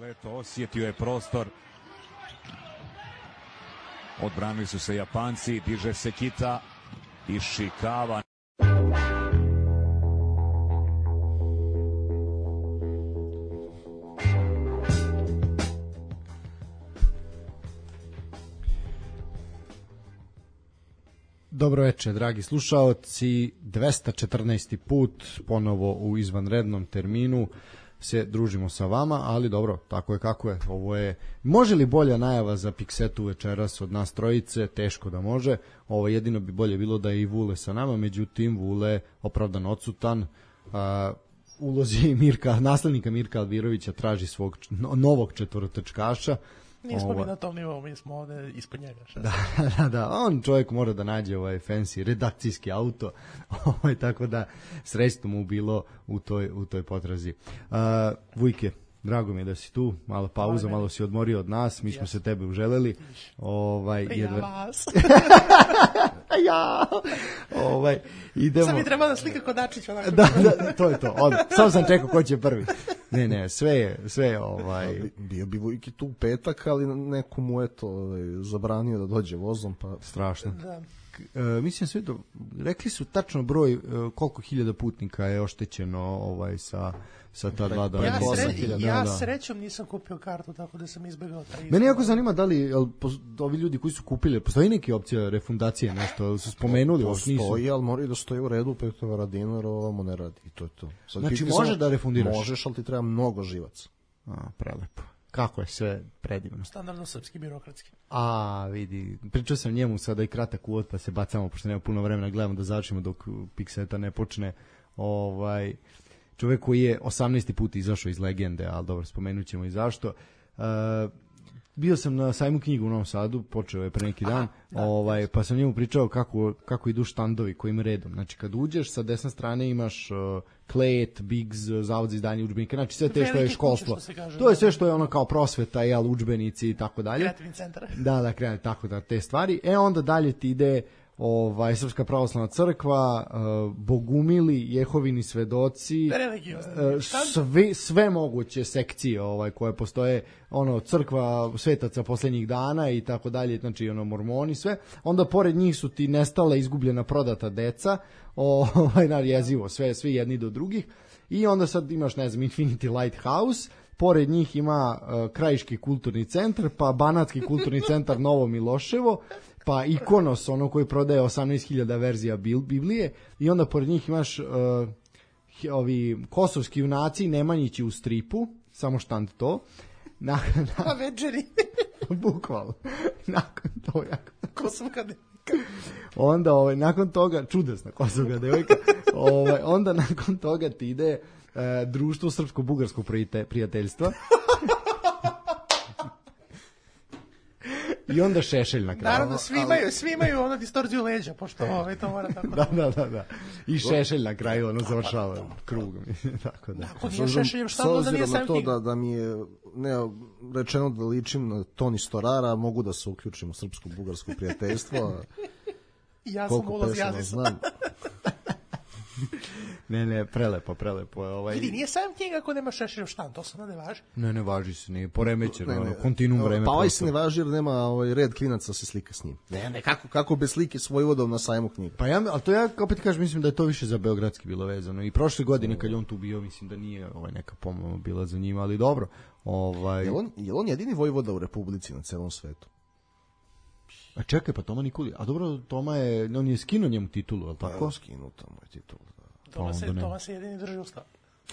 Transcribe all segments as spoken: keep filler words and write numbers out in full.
Leto osjetio je prostor. Odbranili su se Japanci, diže se Kita, Ishikawa. Dobro večer, dragi slušaoci, dvesta četrnaesti put ponovo u izvanrednom terminu se družimo sa vama, ali dobro, tako je kako je. Ovo je, može li bolja najava za Piksetu večeras od nas trojice? Teško da može. Ovo jedino bi bolje bilo da je i Vule sa nama, međutim Vule opravdan odsutan. Uh, ulozi Mirka, naslednika Mirka Alvirovića traži svog novog četvorotrčkaša. Nismo mi na tom nivou, mi smo ovde ispod njega. Da, da, da, on čovjek mora da nađe ovaj fancy redakcijski auto, ovaj, tako da srećno mu bilo u toj, u toj potrazi. Uh, Vujke, drago mi je da si tu, malo pauza, malo si odmorio od nas, mi smo yes. se tebe uželeli. Ovaj, jedva... Ja vas. ja, ovaj, idemo... Sad mi treba da slika kod Dačića. Da, da, to je to, odmah. Samo sam čekao ko će prvi. Ne, ne, sve je, sve je, ovaj... Bio bi Vujki tu u petak, ali neko mu je to ovaj, zabranio da dođe vozom, pa... Strašno. Da. E, mislim sve to, rekli su tačno broj e, koliko hiljada putnika je oštećeno ovaj sa sa ta dva dana. Ja, sre, ja da. srećom nisam kupio kartu, tako da sam izbegao taj izbog. Meni jako zanima da li jel, ovi ljudi koji su kupili, postoji neke opcije refundacije, nešto su spomenuli, ovo nisu. Postoji, ali moraju da stoji u redu, petovara dinara, ovamo ne radi i to je to. Sad, znači ti može da refundiraš? Možeš, ali ti treba mnogo živaca. A, prelepo. Kako je sve predivno. Standardno srpski, birokratski. A, vidi, pričao sam njemu sada i kratak uvod, pa se bacamo, pošto nema puno vremena, gledamo da završimo dok Pikseta ne počne. Ovaj, čovjek koji je osamnaesti put izašao iz legende, ali dobro, spomenut ćemo i zašto. Uh, bio sam na sajmu knjigu u Novom Sadu, počeo je pre neki dan, Aha, da, ovaj, pa sam njemu pričao kako, kako idu štandovi, kojim redom. Znači, kad uđeš, sa desne strane imaš uh, Klet, Biggs, Zavod za izdanje udžbenika, znači sve te što je školstvo. Kaže, to je sve što je ono kao prosveta, jel, udžbenici i tako dalje. Kreativni centar. Da, da, kreativni, tako da, te stvari. E, onda dalje ti ide ovaj Srpska pravoslavna crkva, uh, Bogumili, Jehovini svedoci, uh, sve sve moguće sekcije ovaj koje postoje, ono crkva svetaca poslednjih dana i tako dalje, znači ono mormoni sve. Onda pored njih su ti nestala, izgubljena, prodata deca, ovaj na jezivo, sve svi jedni do drugih. I onda sad imaš, ne znam, Infinity Lighthouse, pored njih ima uh, Krajiški kulturni centar, pa Banatski kulturni centar Novo Miloševo, pa Ikonos, ono koji prodaje osamnaest hiljada verzija Biblije, i onda pored njih imaš uh, ovi kosovski junaci, Nemanjići u stripu, samo štand to. Na, na, na večeri. Bukvalno. Nakon toga. Kosovka devojka. Onda, ovaj, nakon toga, čudesna Kosovka devojka, ovaj, onda nakon toga ti ide uh, društvo srpsko-bugarskog prijateljstva. I onda Šešelj na kraju. Naravno, svi imaju, svi imaju ono distorziju leđa, pošto ovaj, to mora tako. Da, da, da, da. I Šešelj na kraju, ono završava krugom. Tako da. Ako nije Šešeljem šta da nije sam to da, da mi je ne, rečeno da ličim na Toni Storara, mogu da se uključim u srpsko-bugarsko prijateljstvo. Ja sam ulaz jazisa. Ne, ne, prelepo, prelepo. Ovaj... Vidi, nije sam knjiga ako nema Šešeljev štan, to se ne važi. Ne, ne važi se, nije poremećeno, ne, ne, kontinuum vreme. Pa ovaj se ne važi jer nema ovaj red klinaca se slika s njim. Ne, ne, kako, kako bez slike s Vojvodom na sajmu knjiga. Pa ja, ali to ja opet kažem, mislim da je to više za beogradski bilo vezano. I prošle godine kad je on tu bio, mislim da nije ovaj neka pomoć bila za njima, ali dobro. Ovaj... Je on, je on jedini Vojvoda u Republici na celom svetu? A čekaj, pa Toma Nikoli, a dobro, Toma je, on je skinuo njemu titulu, al tako? Pa, skinuo Toma je titulu. Toma se, Toma se jedini drži ustav.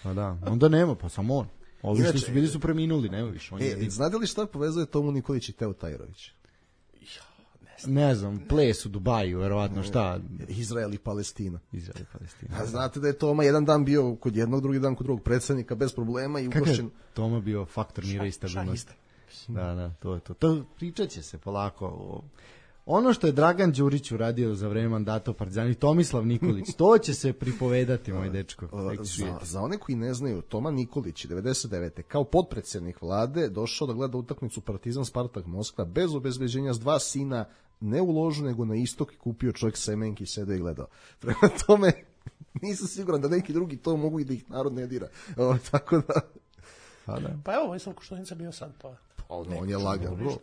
Pa da, onda nema, pa samo on. Ovi što su bili su preminuli, nema više. On e, je znate li šta povezuje Tomu Nikolić i Teo Tajrović? Ja, ne znam. Ne znam, ples u Dubaju, verovatno, šta? Izrael i Palestina. Izrael i Palestina. A znate da je Toma jedan dan bio kod jednog, drugi dan kod drugog predsjednika bez problema i ugošćen. Toma bio faktor mira i stabilnosti. Da, da, to je to. To pričat će se polako o... Ono što je Dragan Đurić uradio za vreme mandata u Partizanu, Tomislav Nikolić, to će se pripovedati, moj dečko. Za, za one koji ne znaju, Toma Nikolić devedeset devete kao potpredsjednik vlade došao da gleda utakmicu Partizan Spartak Moskva bez obezbeđenja s dva sina, ne u ložu nego na istok, i kupio čovjek semenki, sedeo i gledao. Prema tome nisam siguran da neki drugi to mogu i da ih narod ne dira. O, tako da Pa, da. Pa evo, Vojislav Koštunica bio sad, pa... On, on je lagan, bro.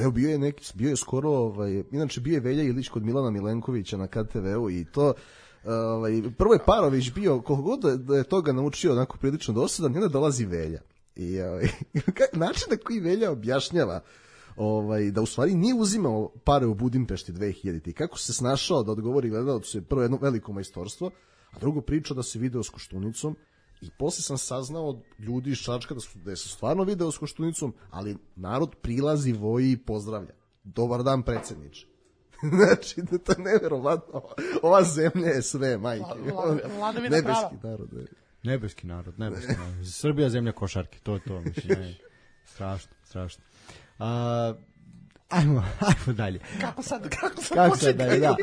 Evo, bio je neki, bio je skoro, ovaj, inače bio je Velja Ilić kod Milana Milenkovića na K T V-u i to, ovaj, prvo je Parović bio, koliko god da je toga naučio onako prilično dosadan, i onda dolazi Velja. I ovaj, način na koji Velja objašnjava ovaj, da u stvari nije uzimao pare u Budimpešti dve hiljadite i kako se snašao da odgovori gledalcu je prvo jedno veliko majstorstvo, a drugo priča da se video s Koštunicom. I posle sam saznao od ljudi iz Čačka da su, da je se stvarno video s Koštunicom, ali narod prilazi, voji i pozdravlja. Dobar dan, predsjedniče. Znači, da to je neverovatno. Ova zemlja je sve, majke. Vladavina prava. Nebeski narod. Je. Nebeski narod, nebeski narod. Srbija zemlja košarke, to je to. Mislim, strašno, strašno. A, ajmo, ajmo dalje. Kako sad, kako sad kako početi? Sad dalje, da.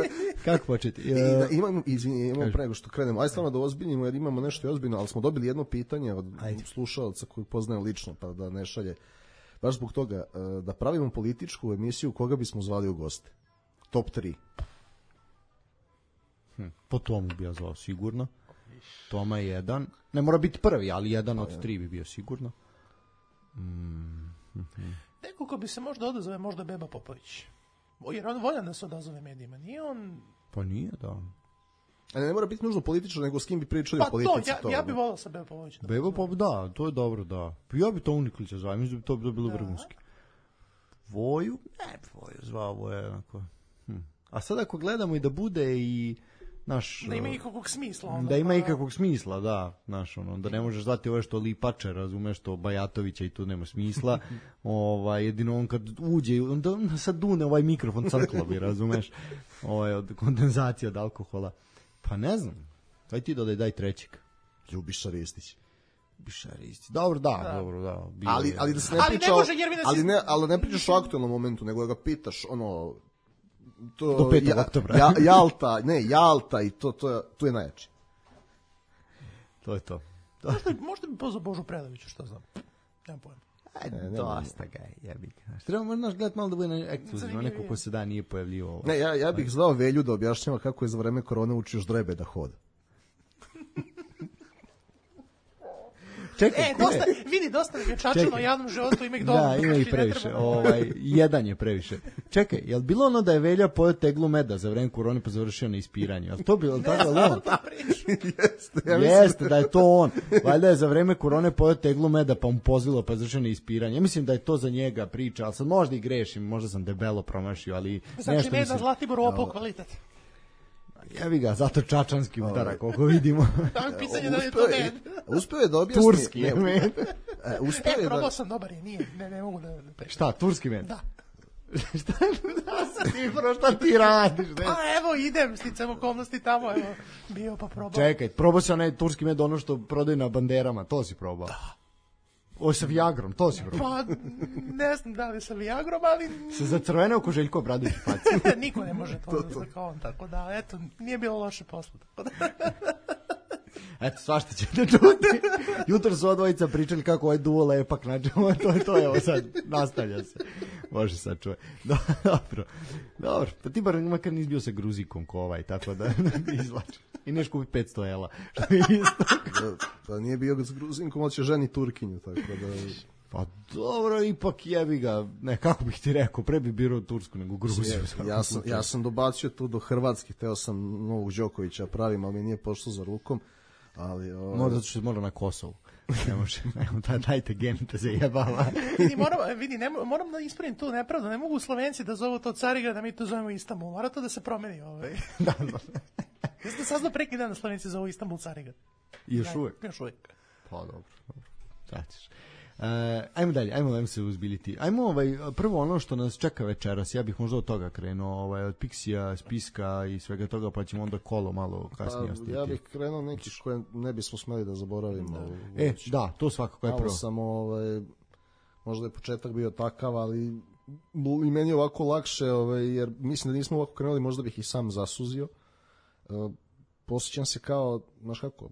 Kako početi? I, da, imam, izvini, imam prego što krenemo. Aj stvarno da ozbiljimo jer imamo nešto i ozbiljno, ali smo dobili jedno pitanje od Ajde. slušalca kojeg poznajem lično, pa da ne šalje. Baš zbog toga, da pravimo političku emisiju, koga bismo zvali u goste? Top tri. Hm, po tomu bi ja zvao sigurno. Toma je jedan. Ne mora biti prvi, ali jedan od tri bi bio sigurno. Mm, mm-hmm. Neko ko bi se možda odazove, možda Beba Popović. Jer on voljan da se odazove medijima. Nije on... Pa nije, da. A ne, ne mora biti nužno politično, nego s kim bi pričali pa o politici. Pa to, ja, ja bi volao sa Beba Popović. Da Beba Popović, da, to je dobro, da. Ja bi to Nikolića zvao, mislim da bi to bi bilo da. vrhunski. Voju? Ne, Voju zvao, Voju onako. Hm. A sad ako gledamo i da bude i naš... Da ima ikakvog smisla. Onda, da ima ikakvog smisla, da. Naš, ono, da ne možeš zvati ove što Lipače, razumeš, što Bajatovića i tu nema smisla. ovaj, jedino on kad uđe, onda sad dune ovaj mikrofon crklo bi, razumeš, ovaj, od kondenzacija od alkohola. Pa ne znam, daj ti dodaj, daj trećeg. Ljubiša Ristić. Ljubiša Ristić. Dobro, da, da. dobro, da. Bio ali, je. ali da se ne priča, ali ne, može, ali ne, ali ne pričaš o aktualnom momentu, nego da ga pitaš, ono, to, do petog oktobra. Ja, Jalta, ne, Jalta i to, to, to je najjače. To je to. to. Možda, možda bi pozvao Božu Predovića, što znam. Nemam pojma. Ajde, ne, dosta ga je, jebi ga. Treba možda gledati malo da bude na ekskluzivno, neko ko se da nije pojavljivo. Ne, ja, ja bih zvao Velju da objašnjava kako je za vreme korone učio ždrebe da hoda. Čekaj, e, dosta, vidi, dosta je čačano o javnom životu, ima ih dobro. Da, ima ih previše, da ovaj, jedan je previše. Čekaj, je li bilo ono da je Velja pojeo teglu meda za vreme korone pa završio na ispiranju? Je li to bilo tako? Ne znam ta priča. Jeste, ja Jeste, da je to on. Valjda je za vreme korone pojeo teglu meda pa mu pozlilo pa završio na ispiranju. Ja mislim da je to za njega priča, ali sad možda i grešim, možda sam debelo promašio, ali znači, nešto mislim... Znači, Zlatibor opao kvalitet. Jevi ga, zato čačanski udara, koliko vidimo. Tamo je pitanje da je to med. Uspeo je da objasni. Turski je med. Uspeo e, je probao da... sam, dobar je, nije, ne, ne mogu da... da šta, turski med? Da. šta, da, ti, bro, šta ti radiš? Ne? Pa evo, idem, sticam okolnosti tamo, evo, bio pa probao. Čekaj, probao si onaj turski med, ono što prodaju na banderama, to si probao? Da. O, sa Viagrom, to si probao? Pa, ne znam da li sa Viagrom, ali... Se zacrveneo ko Željko Obradović faci. Niko ne može to, to, to. Kao on, tako da, eto, nije bilo loše posla, tako da... Eto, svašta ćete čuti. Jutro su odvojica pričali kako ovaj duo lepak, znači, to je to, evo sad, nastavlja se. Može sad čuje. Dobro, dobro, pa ti bar makar nisi bio sa Gruzikom ko ovaj, tako da izlači. I neš kupi petsto ela, što je isto. Pa nije bio s Gruzinkom, ali će ženi Turkinju, tako da... Pa dobro, ipak jebi ga, ne, kako bih ti rekao, pre bi birao Tursku nego Gruziju. Ja sam, ja sam dobacio tu do Hrvatske, teo sam Novog Đokovića pravim, ali mi nije pošlo za rukom. Ali, o... Možda ću mora na Kosovu. Ne može, ne, dajte genite se jebava. vidi, moram, vidi ne, moram da ispravim tu nepravdu, ne mogu Slovenci da zovu to Carigrad, da mi to zovemo Istanbul, mora to da se promeni. Ovaj. da, da. Jeste da saznao preki dan da Slovenci zovu Istanbul Carigrad. I još uvijek? Još uvijek. Pa dobro, dobro. Zatiš. Uh, ajmo dalje, ajmo da se uzbiliti. Ajmo ovaj, prvo ono što nas čeka večeras, ja bih možda od toga krenuo, ovaj, od Pixija, spiska i svega toga, pa ćemo onda kolo malo kasnije ostiti. Ja bih krenuo neki koje ne bismo smeli da zaboravimo. Da. E, da, to svakako je prvo. Malo sam, ovaj, možda je početak bio takav, ali i meni je ovako lakše, ovaj, jer mislim da nismo ovako krenuli, možda bih i sam zasuzio. Uh, posjećam se kao, znaš kako,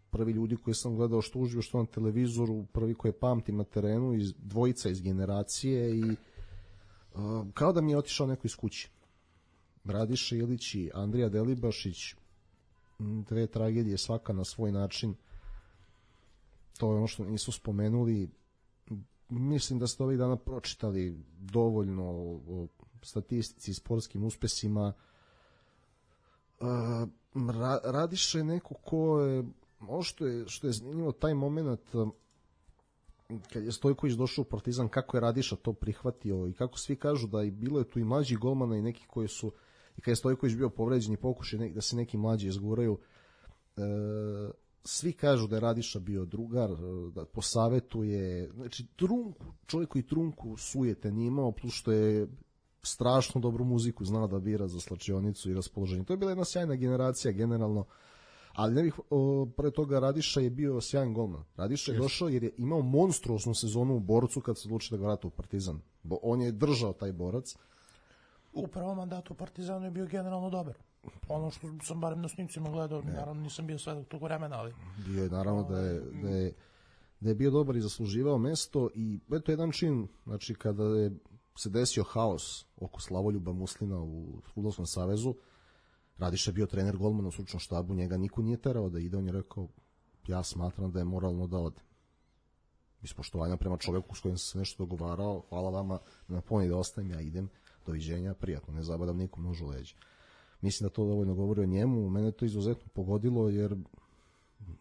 prvi ljudi koji sam gledao što uživo, što na televizoru, prvi koje pamtim na terenu, iz dvojica iz generacije i uh, kao da mi je otišao neko iz kuće. Radiša Ilić i Andrija Delibašić, dve tragedije svaka na svoj način. To je ono što nisu spomenuli. mislim da ste ovih dana pročitali dovoljno o statistici i sportskim uspesima. Ra, Radiša je neko ko je, ovo što je, što je zanimljivo, taj moment kad je Stojković došao u Partizan, kako je Radiša to prihvatio i kako svi kažu da i bilo je tu i mlađih golmana i neki koji su, i kad je Stojković bio povređen i pokušaj da se neki mlađi izguraju, e, svi kažu da je Radiša bio drugar, da posavetuje, znači trunku, čovjek koji trunku sujete nije imao, plus što je strašno dobru muziku znao da bira za slačionicu i raspoloženje. To je bila jedna sjajna generacija generalno, ali ne bih, o, pre toga Radiša je bio sjajan golman. Radiša je došao jer je imao monstruosnu sezonu u Borcu kad se odlučio da ga vrata u Partizan. Bo on je držao taj Borac. U prvom mandatu u Partizanu je bio generalno dobar. Ono što sam barem na snimcima gledao, ne. Naravno nisam bio svedok tog vremena, ali... Bio je, naravno, da je, da je, da je bio dobar i zasluživao mesto i eto jedan čin, znači kada je se desio haos oko Slavoljuba Muslina u Fudbalskom savezu, Radiša je bio trener golmana u stručnom štabu, njega niko nije terao da ide, on je rekao, ja smatram da je moralno da ode. Iz poštovanja prema čoveku s kojim sam se nešto dogovarao, hvala vama na poni da ostajem, ja idem, doviđenja, prijatno, ne zabadam nikom nož u leđa. Mislim da to dovoljno govori o njemu, mene to izuzetno pogodilo, jer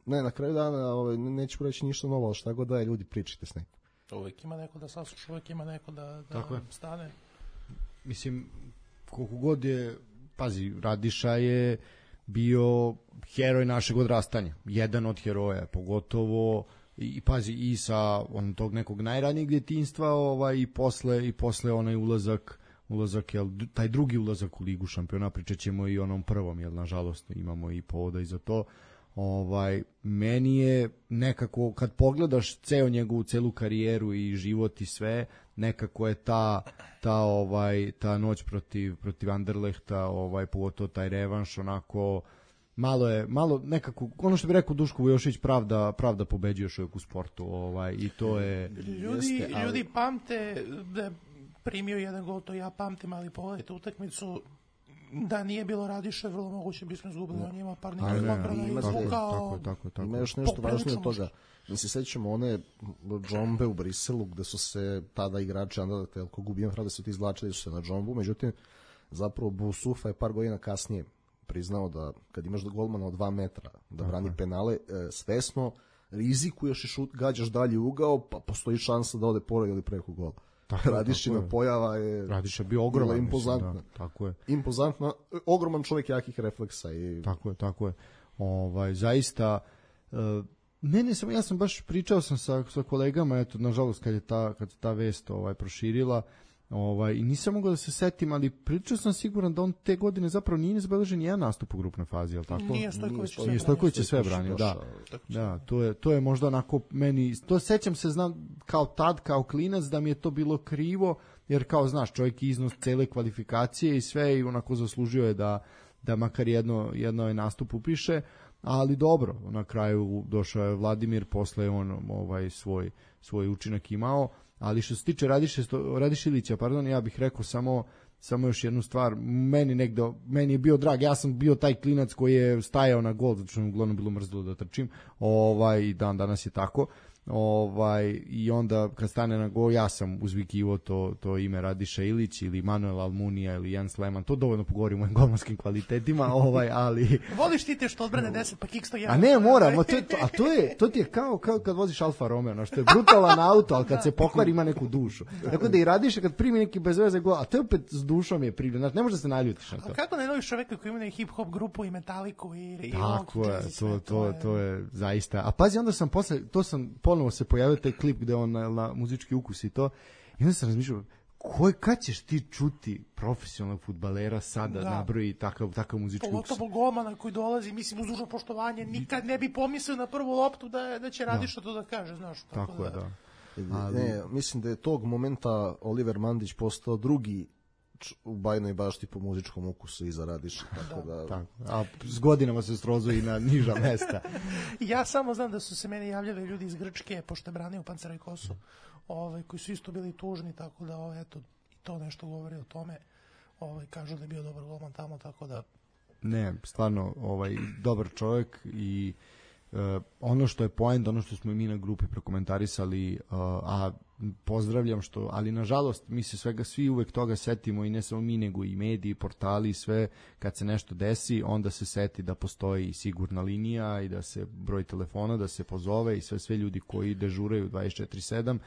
ne, na kraju dana ovaj, neću reći ništa novo, ali šta god da je, ljudi pričajte s nekim. Uvijek ima neko da sasluša, uvijek ima neko da, da stane. Mislim, koliko god je, pazi, Radiša je bio heroj našeg odrastanja, jedan od heroja, pogotovo i pazi i sa on tog nekog najranijeg djetinjstva, ovaj i posle i posle onaj ulazak ulazak jel taj drugi ulazak u Ligu šampiona, pričaćemo i onom prvom, jel nažalost imamo i povoda i za to. Ovaj meni je nekako kad pogledaš ceo njegovu celu karijeru i život i sve, nekako je ta ta ovaj ta noć protiv protiv Anderlehta, ovaj pogotovo taj revanš, onako malo je malo nekako ono što bi rekao Duško Vujošević, pravda pravda pobeđuje čovjek u sportu, ovaj i to je ljudi jeste, ali... ljudi pamte da primio jedan gol, to ja pamtim, ali pogledajte utakmicu, da nije bilo Radiše, vrlo moguće bismo izgubili, on ima par nekih odbrana i izvukao. Ima još nešto važnije od toga. Mi se sećamo one džombe u Briselu, gde su se tada igrači Anderlehta, ako gubijem hrada, su ti izvlačili su se na džombu, međutim, zapravo Boussoufa je par godina kasnije priznao da kad imaš golmana od dva metra da brani Aha. penale, svesno rizikuješ i šut, gađaš dalje ugao, pa postoji šansa da ode pored ili preko gola. Radišina pojava je Radiša bio ogroman, impozantna. Mislim, da, tako je. Impozantna, ogroman čovjek jakih refleksa i tako je, tako je. Ovaj zaista uh, mene sam ja sam baš pričao sam sa sa kolegama, eto nažalost kad je ta kad ta vest ovaj proširila, ovaj i nisam mogao da se setim, ali pričao sam siguran da on te godine zapravo nije zabeležen jedan nastup u grupnoj fazi, al tako? Nije Stojković, nije Stojković sve branio, da. Da, to je to je možda onako meni, to sećam se, znam kao tad kao klinac da mi je to bilo krivo, jer kao znaš, čovjek iznos cele kvalifikacije i sve i onako zaslužio je da da makar jedno jedno je nastup upiše, ali dobro, na kraju došao je Vladimir, posle on ovaj svoj svoj učinak imao. Ali što se tiče Radiše, Radišilića, pardon, ja bih rekao samo samo još jednu stvar. Meni negde, meni je bio drag, ja sam bio taj klinac koji je stajao na gol, zato što mi uglavnom bilo mrzlo da trčim. Ovaj dan danas je tako. Ovaj i onda kad stane na gol, ja sam uzvikivo to to ime Radiša Ilić ili Manuel Almunija ili Jan Sleman, to dovoljno pogovori o mojim golmanskim kvalitetima, ovaj ali voliš ti te što odbrane deset pa kick sto jedan. A ne, moram, to je to, a to je to ti je kao kao kad voziš Alfa Romeo, no što je brutalan auto, al kad se pokvari ima neku dušu. Tako da i Radiša kad primi neki bezveze gol, a to je opet s dušom je primljen, znači ne može da se naljutiš na to. A kako ne voliš čoveka koji ima hip hop grupu i Metaliku i i tako je, to to to je zaista. A pazi, onda sam posle to sam ponovo se pojavio taj klip gde on na, na muzički ukus i to, i onda sam razmišljao ko, kad ćeš ti čuti profesionalnog fudbalera sada da nabroji takav, takav muzički ukus. Pogotovo golmana koji dolazi, mislim, uz dužno poštovanje, nikad ne bi pomislio na prvu loptu da, da će Radiša to da kaže, znaš. Tako, tako da, je, da. Ali... Ne, mislim da je tog momenta Oliver Mandić postao drugi u Bajnoj Bašti po muzičkom ukusu iza Radiša, tako da, da... Tako. A s godinama se srozuje i na niža mesta. Ja samo znam da su se meni javljali ljudi iz Grčke, pošto je branio Pancerajkosu, ovaj, koji su isto bili tužni, tako da ovaj, eto, i to nešto govori o tome. Ovaj, kažu da je bio dobar golman tamo, tako da... Ne, stvarno, ovaj, dobar čovjek i uh, ono što je point, ono što smo i mi na grupi prokomentarisali, uh, a pozdravljam što, ali nažalost mi se svega svi uvek toga setimo i ne samo mi nego i mediji, portali, sve kad se nešto desi onda se seti da postoji sigurna linija i da se broj telefona, da se pozove i sve sve ljudi koji dežuraju dvadeset četiri sedam.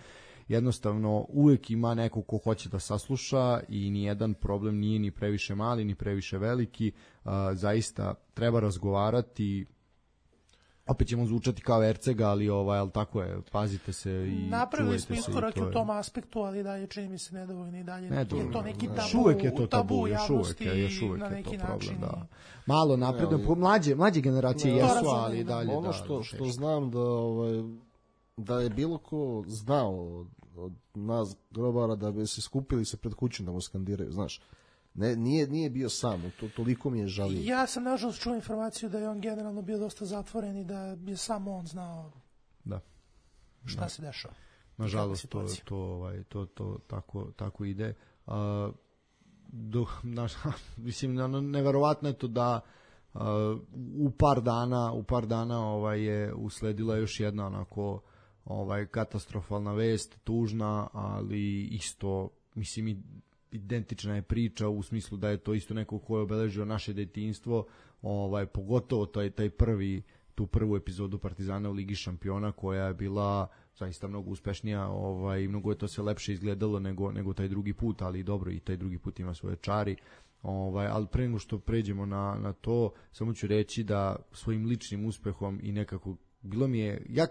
Jednostavno uvek ima neko ko hoće da sasluša i nijedan problem nije ni previše mali ni previše veliki. Uh, zaista treba razgovarati. Opet ćemo zvučati kao Ercega, ali ovaj, ali tako je, pazite se i napravili smo čuvajte iskorak se. u tom aspektu, ali dalje čini mi se nedovoljno i dalje. Ne, je to neki tabu, još uvek je to tabu, tabu još uvek je, još uvek na je neki to problem, način. da. Malo napredno, ali, mlađe, mlađe generacije ne, jesu, razumem, ali da. dalje ono da, što, da, što znam da ovaj, da je bilo ko znao od, od nas grobara da bi se skupili se pred kućom da mu skandiraju, znaš. Ne, nije, nije bio sam, to, toliko mi je žalio. Ja sam nažalost čuo informaciju da je on generalno bio dosta zatvoren i da je samo on znao da. šta Da. se dešava. Nažalost to to ovaj to to tako tako ide. A do naš mislim ono neverovatno je to da uh, u par dana u par dana ovaj je usledila još jedna onako ovaj katastrofalna vest, tužna, ali isto mislim i identična je priča u smislu da je to isto neko ko je obeležio naše detinjstvo, ovaj pogotovo taj taj prvi tu prvu epizodu Partizana u Ligi šampiona koja je bila zaista mnogo uspešnija, ovaj mnogo je to sve lepše izgledalo nego nego taj drugi put, ali dobro i taj drugi put ima svoje čari. Ovaj al pre nego što pređemo na na to, samo ću reći da svojim ličnim uspehom i nekako bilo mi je ja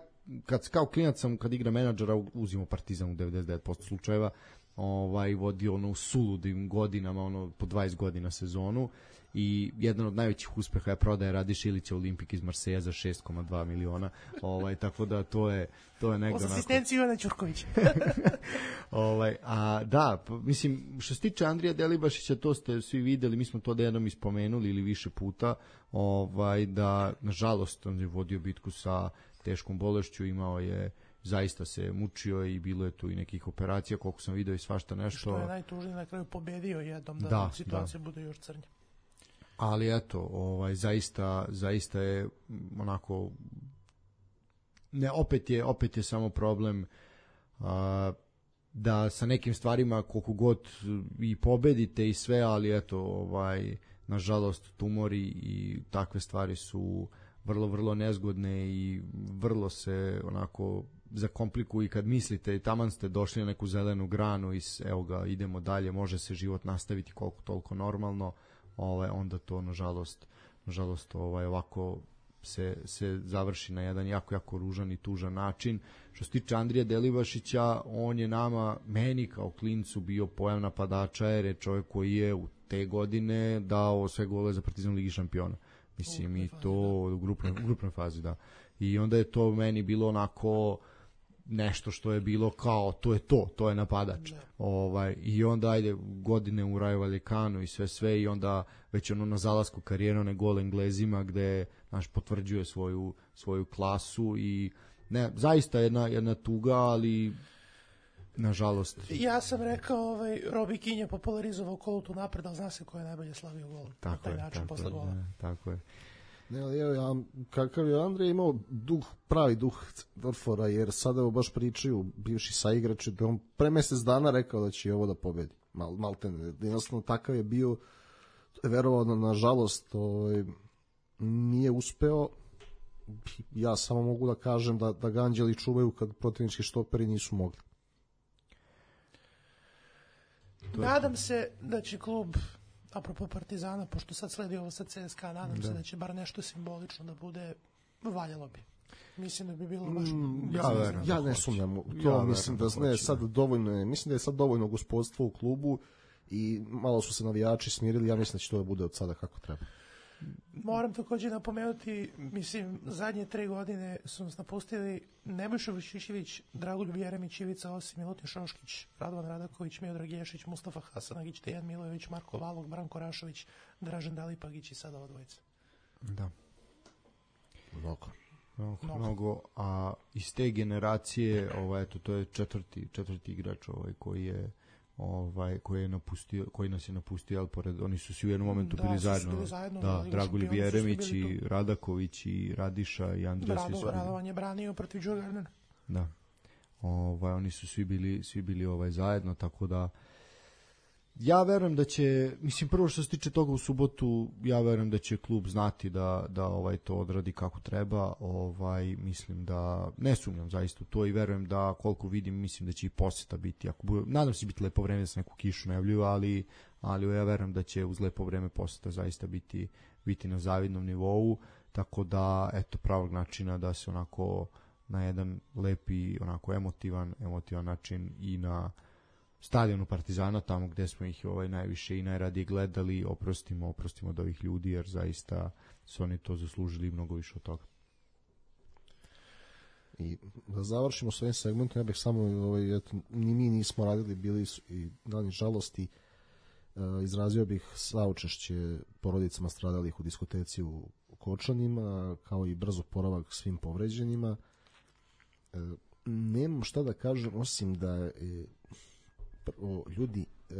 kad kao klinac sam kad igra menadžera uzimo Partizan u devedeset devet posto slučajeva, ovaj vodio ono u suludim godinama, ono po dvadeset godina sezonu i jedan od najvećih uspeha je prodaja Radiša Ilića Olimpik iz Marseja za šest zarez dva miliona. Ovaj tako da to je to je negde onako. Asistenciju Ivana Ćurkovića. ovaj a da, mislim što se tiče Andrija Delibašića, to ste svi videli, mi smo to da jednom ispomenuli ili više puta, ovaj da nažalost on je vodio bitku sa teškom bolešću, imao je zaista se mučio i bilo je tu i nekih operacija, koliko sam video i svašta nešto. Što je najtužnije, na kraju pobedio jednom da, da situacija da. bude još crnja. Ali eto, ovaj zaista zaista je onako ne opet je opet je samo problem a, da sa nekim stvarima koliko god i pobedite i sve, ali eto ovaj nažalost tumori i takve stvari su vrlo vrlo nezgodne i vrlo se onako zakomplikuju i kad mislite i taman ste došli na neku zelenu granu i evo ga idemo dalje, može se život nastaviti koliko toliko normalno, ovaj onda to nažalost nažalost ovaj ovako se se završi na jedan jako jako ružan i tužan način. Što se tiče Andrija Delibašića, on je nama meni kao klincu bio pojam napadača, jer je čovjek koji je u te godine dao sve gole za Partizan u Ligi šampiona. Mislim i to u grupnoj, u grupnoj fazi, da. I onda je to meni bilo onako nešto što je bilo kao to je to, to je napadač. Da. Ovaj i onda ajde godine u Rayo Vallecanu i sve sve i onda već ono na zalasku karijere one gol Englezima gde naš potvrđuje svoju svoju klasu i ne zaista jedna jedna tuga, ali nažalost. Ja sam rekao, ovaj Robi Kin je popularizovao Kolutu napred, ali zna se ko je najbolje slavio gol. Tako na taj je, način tako posle je, gola. Ne, tako je. Ne, ali evo, ja, kakav je Andrej imao duh, pravi duh Dorfora, jer sada evo baš pričaju bivši saigrači da on pre mesec dana rekao da će ovo da pobedi. Mal, maltene, jednostavno takav je bio, verovao na, nažalost, ovaj, nije uspeo. Ja samo mogu da kažem da, da ga anđeli čuvaju kad protivnički štoperi nisu mogli. Nadam se da će klub, apropo Partizana, pošto sad sledi ovo sa C S K A, nadam da. se da će bar nešto simbolično da bude, valjalo bi. Mislim da bi bilo baš... Mm, ja, verujem, ja ne sumnjam to, ja mislim da, da ne, sad dovoljno je, mislim da je sad dovoljno gospodstvo u klubu i malo su se navijači smirili, ja mislim da će to da bude od sada kako treba. Moram također napomenuti, mislim, zadnje tri godine su nas napustili Nebojša Vučićević, Dragoljub Jeremić, Ivica Osim, Milutin Šoškić, Radovan Radaković, Miodrag Ješić, Mustafa Hasanagić, Dejan Milojević, Marko Valog, Branko Rašović, Dražen Dalipagić i sada ova dvojica. Da. Mnogo. Mnogo, mnogo, a iz te generacije, ovaj, eto, to je četvrti, četvrti igrač ovaj, koji je ovaj koji je napustio, koji nas je napustio, al pored oni su svi u jednom momentu da, bili zajedno, bili zajedno da, da, Dragoljub Jeremić i Radaković i Radiša i Andres Rado, su Radovan je branio protiv Đurgarnera. Da. Ovaj oni su svi bili svi bili ovaj zajedno, tako da ja verujem da će, mislim prvo što se tiče toga u subotu, ja verujem da će klub znati da da ovaj to odradi kako treba, ovaj mislim da ne sumnjam zaista u to i verujem da koliko vidim mislim da će i poseta biti, ako bude, nadam se biti lepo vreme da se neku kišu najavljuju, ali ali ja verujem da će uz lepo vreme poseta zaista biti biti na zavidnom nivou, tako da eto pravog načina da se onako na jedan lepi, onako emotivan, emotivan način i na stadionu Partizana, tamo gde smo ih ovaj najviše i najradije gledali, oprostimo, oprostimo od ovih ljudi, jer zaista su oni to zaslužili mnogo više od toga. I da završimo s ovim segmentom, ja bih samo, ovaj, eto, ni mi nismo radili, bili su i dani žalosti, e, izrazio bih saučešće porodicama stradalih u diskoteci u Kočanima, kao i brzo poravak svim povređenima. E, nemam šta da kažem, osim da je prvo, ljudi, e,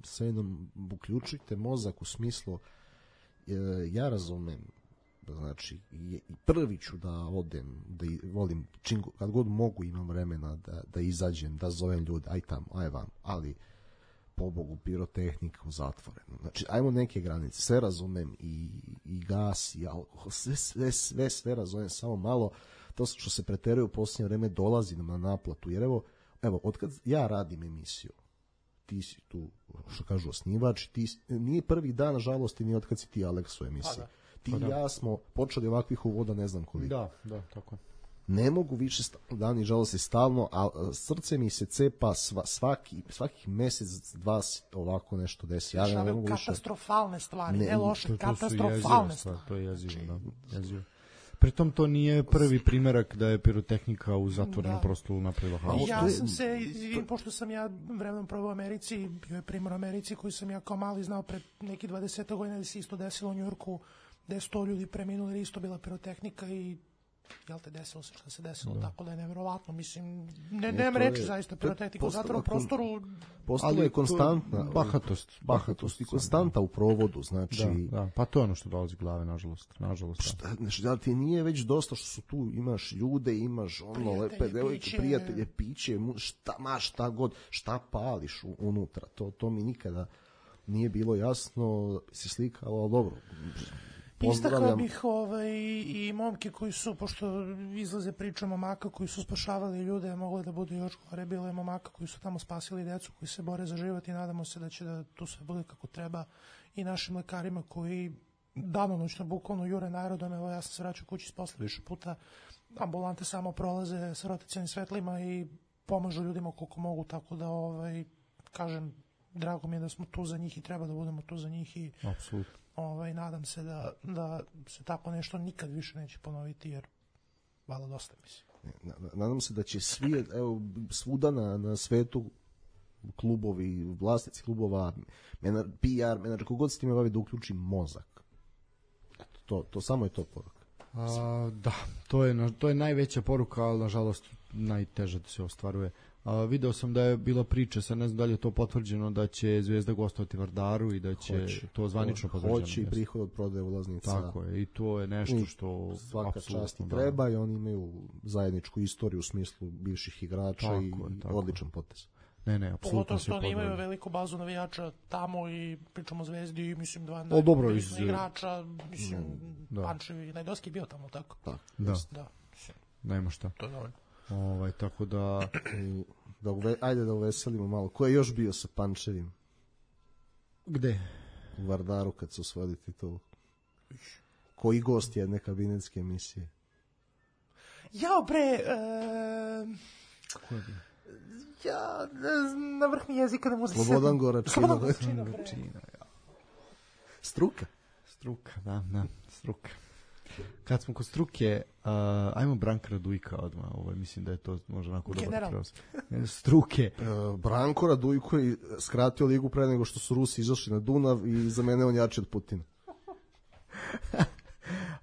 sve jednom uključite mozak u smislu, e, ja razumem, znači, i prvi ću da odem, da i, volim, čim, kad god mogu imam vremena da, da izađem, da zovem ljude, aj tamo, aj vam, ali pobogu pirotehnika u zatvorenu. Znači, ajmo neke granice, sve razumem, i, i gas, i alkohol, sve, sve, sve, sve razumem, samo malo, to što se preteruje u posljednje vreme dolazi nam na naplatu, jer evo, evo, otkad ja radim emisiju, ti si tu, što kažu, osnivač, ti, nije prvi dan, nažalost, i nije otkad si ti, Aleks, u emisiji. Pa da. Ti i ja smo počeli ovakvih uvoda, ne znam koliko. Da, da, tako. Ne mogu više dani žalosti stalno, a srce mi se cepa sva, svaki, svakih mesec, dva ovako nešto desi. Ja ne, ne mogu više. Katastrofalne stvari, ne, ne loše, to, to katastrofalne stvari. To je jezivo, da, jezivo. Pritom to nije prvi primerak da je pirotehnika u zatvorenom prostoru napravila haos. Ja sam se, pošto sam ja vremenom probao u Americi, bio je primjer u Americi koji sam ja kao mali znao pre neki dvadeset godina da se isto desilo u Njujorku, gde je sto ljudi preminulo jer isto bila pirotehnika i jel te desilo se što se desilo, da. Tako da je nevjerovatno, mislim, ne, nemam reći zaista pirotehnika u zatvorenom prostoru. Postala je konstantna bahatost, bahatost i konstanta u provodu, znači. Da, da, pa to je ono što dolazi glave, nažalost, nažalost. Šta, da ti nije već dosta što su tu, imaš ljude, imaš ono prijatelje, lepe devojke, prijatelje, piće, šta ma šta god, šta pališ unutra, to, to mi nikada nije bilo jasno, se slikalo, ali dobro. Istakao bih ovaj, i momke koji su, pošto izlaze priča momaka koji su spašavali ljude, moglo da bude još gore, bilo je momaka koji su tamo spasili decu, koji se bore za život i nadamo se da će da tu sve bude kako treba, i našim lekarima koji danonoćno bukvalno jure narodom. Evo, ja sam se vraćao kući s posla više puta, ambulante samo prolaze sa rotacionim svetlima i pomažu ljudima koliko mogu, tako da ovaj, kažem, drago mi je da smo tu za njih i treba da budemo tu za njih i apsolutno. Ovaj, nadam se da, da se tako nešto nikad više neće ponoviti, jer malo dosta, mislim. Nadam se da će svi, evo, svuda na, na svetu klubovi, vlasnici klubova, menar, P R, menadžer, kogod se time bavi, da uključi mozak. To, to samo je to poruka. A, da, to je, to je najveća poruka, ali nažalost najteže da se ostvaruje. A, video sam da je bila priča, sad ne znam da li je to potvrđeno, da će Zvezda gostovati Vardaru i da će hoće, to zvanično potvrđeno. Hoće i prihod od prodaje ulaznica. Tako je, i to je nešto što svaka čast i treba, i oni imaju zajedničku istoriju u smislu bivših igrača tako i je, odličan potez. Ne, ne, apsolutno se podržava. Što oni imaju veliku bazu navijača tamo i pričamo o Zvezdi i mislim dva o, dobro, iz... igrača, mislim, da. Pančevi, Najdovski je bio tamo, tako? Da. Da. da. Nema šta. To je dovoljno. Ovaj, tako da, da uve, ajde da uveselimo malo. Ko je još bio sa Pančevim? Gde? U Vardaru kad su osvojili titulu. Koji gost jedne kabinetske emisije? Jao bre, e... ko je bio? Ja, na vrh mi jezika ne možda se... Slobodan Goračina. Slobodan Goračina, ja. Struka. Struka, da, da, struka. Kad smo kod struke, uh, ajmo Branka Radujka odmah, ovo, mislim da je to možda onako dobar prenos. Struke. Uh, Branko Radujko je skratio ligu pre nego što su Rusi izašli na Dunav i za mene on jači od Putina.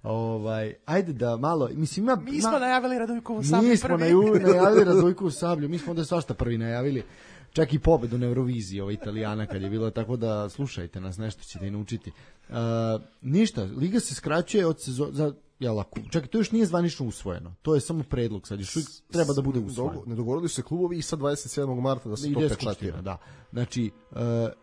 Ovaj, ajde da malo, mislim ima... Mi smo na... najavili Radujkovu sablju mi smo prvi. Mi smo najavili Radujkovu sablju, mi smo onda svašta prvi najavili. Čak i pobedu na Euroviziji ova Italijana kad je bilo, tako da slušajte nas, nešto ćete i naučiti. Uh, ništa, liga se skraćuje od sezona, za, ja lako, čak to još nije zvanično usvojeno, to je samo predlog, sad još treba da bude usvojeno. Ne dogovorili se klubovi i sad dvadeset sedmog marta da se ide to pečatira. Da. Znači, uh,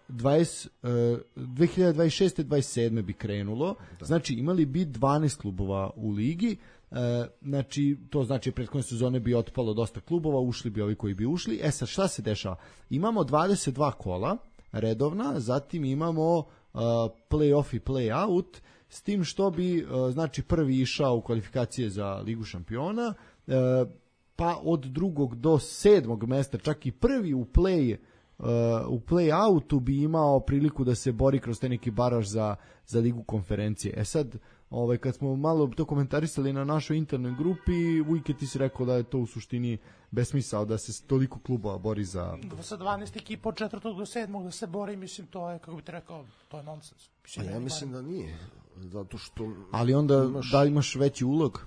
dvadeset, uh, dve hiljade dvadeset šeste dvadeset sedme bi krenulo, da. Znači imali bi dvanaest klubova u ligi. E, znači, to znači prethodne sezone bi otpalo dosta klubova, ušli bi ovi koji bi ušli. E sad, šta se dešava? Imamo dvadeset dva kola redovna, zatim imamo uh, play-off i play-out, s tim što bi, uh, znači, prvi išao u kvalifikacije za Ligu šampiona, uh, pa od drugog do sedmog mesta, čak i prvi u play uh, u play-outu bi imao priliku da se bori kroz taj neki baraž za, za Ligu konferencije. E sad, Ovaj, kad smo malo to komentarisali na našoj internoj grupi, Vujke ti si rekao da je to u suštini besmisao, da se toliko klubova bori za... Sa dvanaest ekipa od četvrtog do sedmog da se bori, mislim, to je, kako bi ti rekao, to je nonsens. Mislim, ja mislim da nije, zato što... Ali onda, imaš... da imaš veći ulog?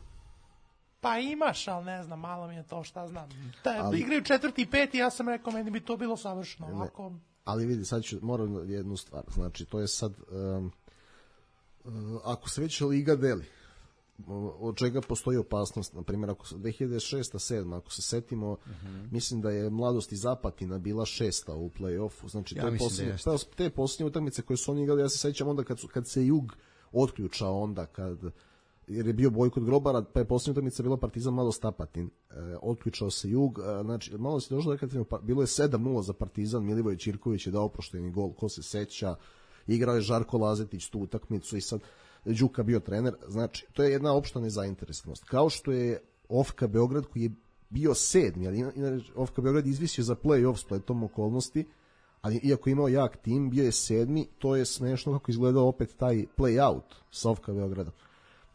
Pa imaš, ali ne znam, malo mi je to, šta znam. Da, ali... igraju četvrti i peti, ja sam rekao, meni bi to bilo savršeno. Ovako... Ali vidi, sad ću, moram jednu stvar, znači, to je sad... Um... ako se već liga deli, od čega postoji opasnost, na primjer ako dve hiljade šeste sedma ako se setimo, uh-huh. mislim da je Mladost iz Apatina bila šesta u play-offu, znači ja te, posljednje, da te posljednje utakmice koje su oni igrali, ja se sećam onda kad, su, kad se Jug otključao, onda kad jer je bio bojkot Grobara, pa je posljednja utakmica bila Partizan Mladost Apatin, e, otključao se Jug, e, znači malo se došlo da pa, bilo je sedam nula za Partizan, Milivoj Ćirković je dao oprošteni gol, ko se seća, igrao je Žarko Lazetić tu utakmicu i sad Đuka bio trener, znači to je jedna opšta nezainteresanost. Kao što je Ofka Beograd koji je bio sedmi, ali Ofka Beograd izvisio za play-off spletom okolnosti, ali iako je imao jak tim, bio je sedmi, to je smešno kako izgledao opet taj play-out sa Ofka Beogradom.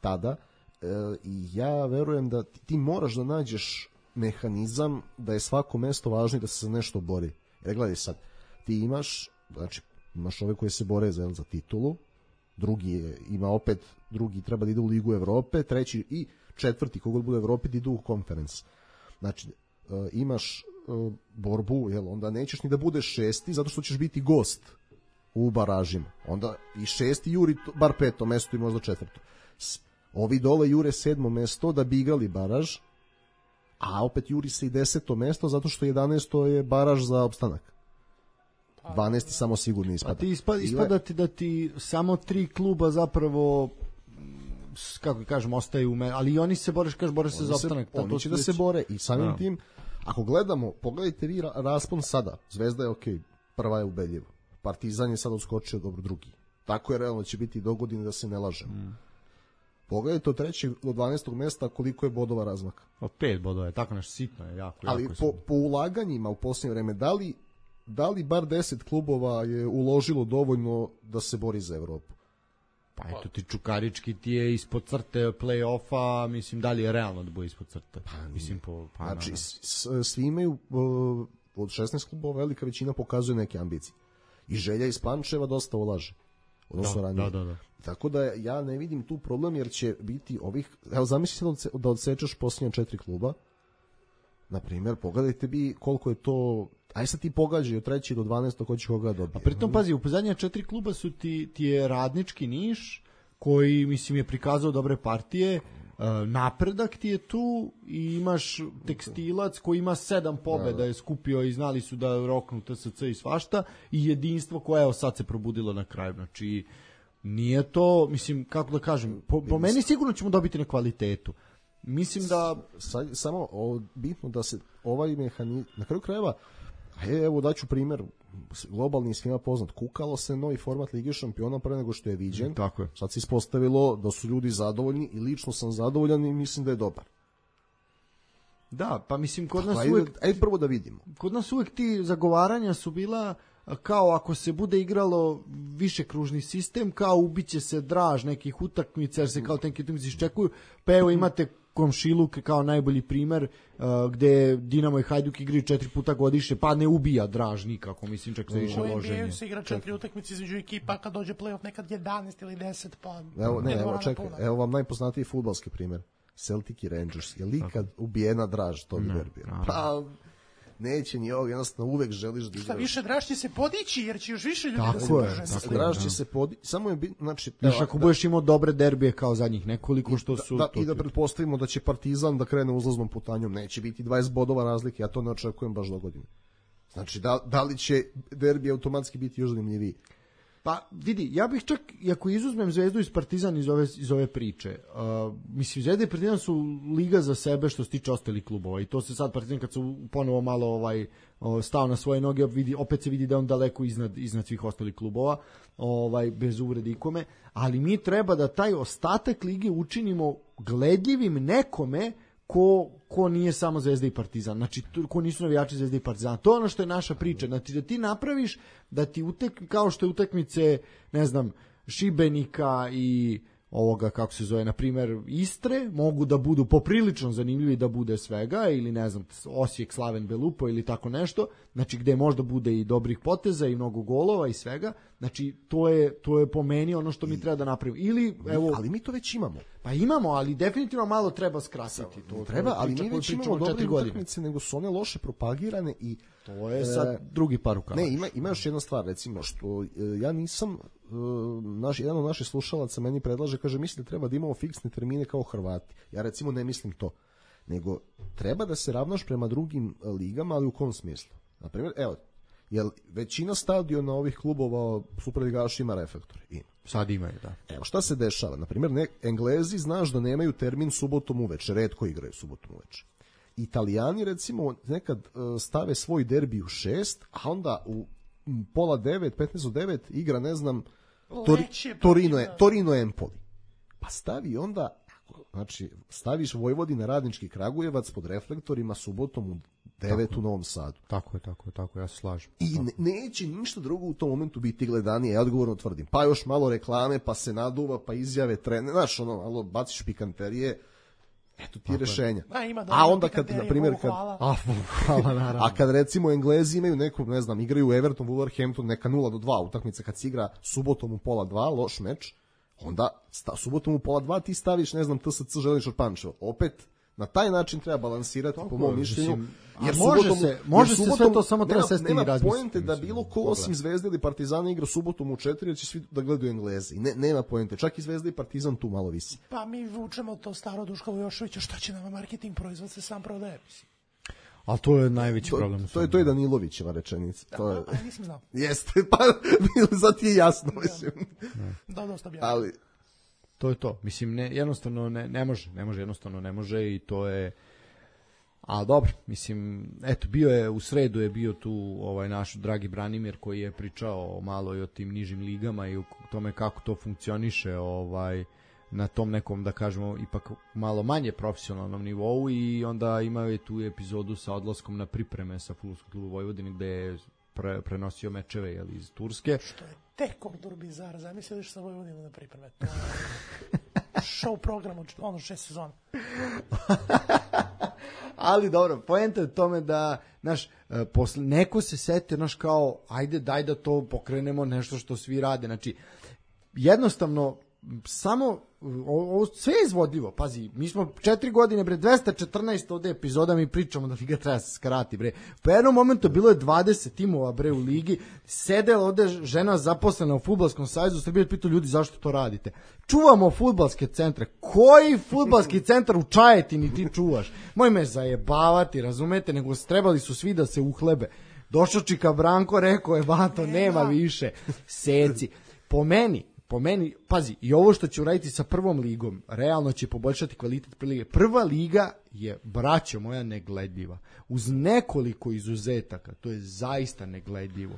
Tada, e, i ja verujem da ti, ti moraš da nađeš mehanizam da je svako mesto važno i da se za nešto bori. Jer gledaj sad, ti imaš, znači, imaš ove koje se bore za, za titulu, drugi je, ima opet, drugi treba da ide u Ligu Evrope, treći i četvrti, kogod bude u Evropi, da idu u konferens. Znači, e, imaš e, borbu, jel, onda nećeš ni da budeš šesti, zato što ćeš biti gost u baražima. Onda i šesti juri bar peto mesto i možda četvrto. Ovi dole jure sedmo mesto da bi igrali baraž, a opet juri se i deseto mesto zato što jedanaesto je baraž za opstanak. dvanaesti samo sigurno ispada. Pa ti ispada, ispada ti da ti samo tri kluba zapravo, kako kažemo, ostaju, ali i oni se bore, kažeš, bore se za opstanak. Oni to će da se bore i samim no. tim, ako gledamo, pogledajte vi raspon sada, Zvezda je okej, okay, prva je ubedljiva. Partizan je sad odskočio dobro drugi. Tako je realno će biti do godine da se ne lažemo. Mm. Pogledajte od trećeg do dvanaestog mesta koliko je bodova razmaka. O pet bodova je, tako nešto sitno je, jako. Ali jako po, po ulaganjima u posljednje vreme, da li da li bar deset klubova je uložilo dovoljno da se bori za Evropu? Pa eto ti Čukarički ti je ispod crte play-offa, mislim da li je realno da bude ispod crte? Pa, mislim po, pa, znači svi imaju od šesnaest klubova velika većina pokazuje neke ambicije. I Želja iz Pančeva dosta ulaže. Odnosno da, ranije. Da, da, da. Tako da ja ne vidim tu problem jer će biti ovih, evo zamisli se da odsečeš posljednja četiri kluba. Na primjer, pogledajte bi koliko je to. Aj sad ti pogađaj od treći do dvanaestog ko će koga dobiti. A pritom pazi, u zadnja četiri kluba su ti, ti je Radnički Niš, koji mislim je prikazao dobre partije, Napredak ti je tu i imaš Tekstilac koji ima sedam pobeda, je skupio i znali su da roknu T S C i svašta, i Jedinstvo koje evo sad se probudilo na kraju. Znači, nije to, mislim, kako da kažem, po, po meni sigurno ćemo dobiti na kvalitetu. Mislim da... Sad, samo o, bitno da se ovaj mehanizam, na kraju krajeva, evo daću primjer, globalni svima poznat, kukalo se novi format Lige šampiona pre nego što je viđen. Tako je. Sad se ispostavilo da su ljudi zadovoljni i lično sam zadovoljan i mislim da je dobar. Da, pa mislim kod nas ajde, uvek... Ajde prvo da vidimo. Kod nas uvek ti zagovaranja su bila kao ako se bude igralo više kružni sistem, kao ubiće se draž nekih utakmica, jer se kao tenki utakmice iščekuju, pa evo imate komšiluk kao najbolji primer uh, gde Dinamo i Hajduk igraju četiri puta godišnje, pa ne ubija draž nikako, mislim čak za više loženje. U N B A se igra četiri utakmice između ekipa, kad dođe play-off nekad jedanaest ili deset, pa... Evo, ne, evo, čekaj, evo vam najpoznatiji fudbalski primer. Celtic i Rangers. Je li kad ubijena draž to bi derbija? Pa... neće ni ovog, jednostavno uvek želiš da igraš. Šta više, draž će se podići, jer će još više ljudi tako da se je, drže. Draž će se podići, samo je bit, znači... Znaš, ako budeš imao dobre derbije kao zadnjih nekoliko što su... Da, da, I da pretpostavimo da će Partizan da krene uzlaznom putanjom, neće biti dvadeset bodova razlike, ja to ne očekujem baš do godine. Znači, da, da li će derbi automatski biti još zanimljiviji? Pa vidi, ja bih čak, ako izuzmem Zvezdu iz Partizan iz ove, iz ove priče, uh, mislim, Zvezda i Partizan su liga za sebe što se tiče ostalih klubova i to se sad Partizan kad su ponovo malo ovaj, stao na svoje noge, vidi, opet se vidi da on daleko iznad, iznad svih ostalih klubova, ovaj, bez uvrede ikome, ali mi treba da taj ostatak lige učinimo gledljivim nekome ko, ko nije samo Zvezda i Partizan, znači ko nisu navijači Zvezda i Partizan. To je ono što je naša priča, znači da ti napraviš da ti utek, kao što je utakmice, ne znam, Šibenika i ovoga, kako se zove, na primjer Istre, mogu da budu poprilično zanimljivi, da bude svega, ili ne znam, Osijek, Slaven, Belupo ili tako nešto, znači gde možda bude i dobrih poteza i mnogo golova i svega, znači to je, to je po meni ono što mi treba da napravimo. Ili, evo, ali mi to već imamo. Pa imamo, ali definitivno malo treba skratiti. To, treba, ali mi već imamo dobre utakmice, nego su one loše propagirane i to je sad e, drugi par rukava. Ne, ima, ima još jedna stvar, recimo, što e, ja nisam, e, naš, jedan od naših slušalaca meni predlaže, kaže, mislim da treba da imamo fiksne termine kao Hrvati. Ja recimo ne mislim to, nego treba da se ravnaš prema drugim ligama, ali u kom smislu? Naprimjer, evo, jel većina stadiona ovih klubova superligaša ima reflektor? Ima. Sad imaju, da. Evo, šta se dešava? Naprimjer, ne, Englezi, znaš da nemaju termin subotom uveče, retko igraju subotom uveče. Italijani, recimo, nekad uh, stave svoj derbi u šest, a onda u m, pola devet, petnaest do devet igra, ne znam, tori, Torino, Torino Empoli. Pa stavi onda, znači, staviš Vojvodina Radnički Kragujevac pod reflektorima subotom u devet u Novom Sadu. Tako je, tako je, tako je, ja se slažem. I ne, neće ništa drugo u tom momentu biti gledanije, ja odgovorno tvrdim. Pa još malo reklame, pa se naduva, pa izjave trene, znaš, ono, malo baciš pikanterije, eto ti rešenja. A, ima a onda kad, na primjer, kad, a, hvala, naravno. A kad recimo Englezi imaju neku, ne znam, igraju Everton, Wolverhampton, neka nula do dva utakmice, kad se igra subotom u pola dva, loš meč, onda sta, subotom u pola dva ti staviš, ne znam, T S C Železničar Pančevo. Opet, na taj način treba balansirati, tako, po mom mišljenju. Jer može subotom, se, može jer subotom, se sve to, samo treba sesti i razmisliti. Nema poente da bilo ko osim Zvezde ili Partizana igra subotom u četiri, jer će svi da gledaju Englezi. Ne, nema poente. Čak i Zvezda i Partizan tu malo visi. Pa mi vučemo to staro Duškovo Jošovića, šta će nama marketing proizvod se sam prodaje, mislim. Ali to je najveći to, problem. To je, to je Danilovićeva rečenica. To je... A, nisam znao. Jeste, pa zato ti je jasno, mislim. Da, dosta bi. Ali... To je to. Mislim, ne, jednostavno ne, ne može. Ne može, jednostavno ne može i to je... A dobro, mislim, eto, bio je, u sredu je bio tu ovaj naš dragi Branimir koji je pričao malo i o tim nižim ligama i o tome kako to funkcioniše ovaj, na tom nekom, da kažemo, ipak malo manje profesionalnom nivou i onda imao je tu epizodu sa odlaskom na pripreme sa Fudbalskog kluba Vojvodine gde je pre, prenosio mečeve jel, iz Turske. Što je tekordor bizar, zamisliš sa Vojvodinom na pripreme. To je show program od ono šest sezona. Ali dobro, poenta je tome da, znaš, posle, neko se seti, znaš, kao, ajde, daj da to pokrenemo, nešto što svi rade. Znači, jednostavno, samo, ovo sve je izvodljivo, pazi, mi smo četiri godine, bre, dvesta četrnaest ovde epizoda, mi pričamo da liga treba se skrati, bre. Po jednom momentu bilo je dvadeset timova, bre, u ligi, sedela ovde žena zaposlena u Fudbalskom savezu Srbije, pitao ljudi zašto to radite. Čuvamo fudbalske centre. Koji fudbalski centar u Čajetini ti čuvaš? Moj me zajebavati, razumete, nego trebali su svi da se uhlebe. Došao Čika Branko, rekao je, bato, nema više. Seci. Po meni, Po meni, pazi, i ovo što će uraditi sa prvom ligom, realno će poboljšati kvalitet prve lige. Prva liga je, braćo moja, negledljiva. Uz nekoliko izuzetaka, to je zaista negledljivo.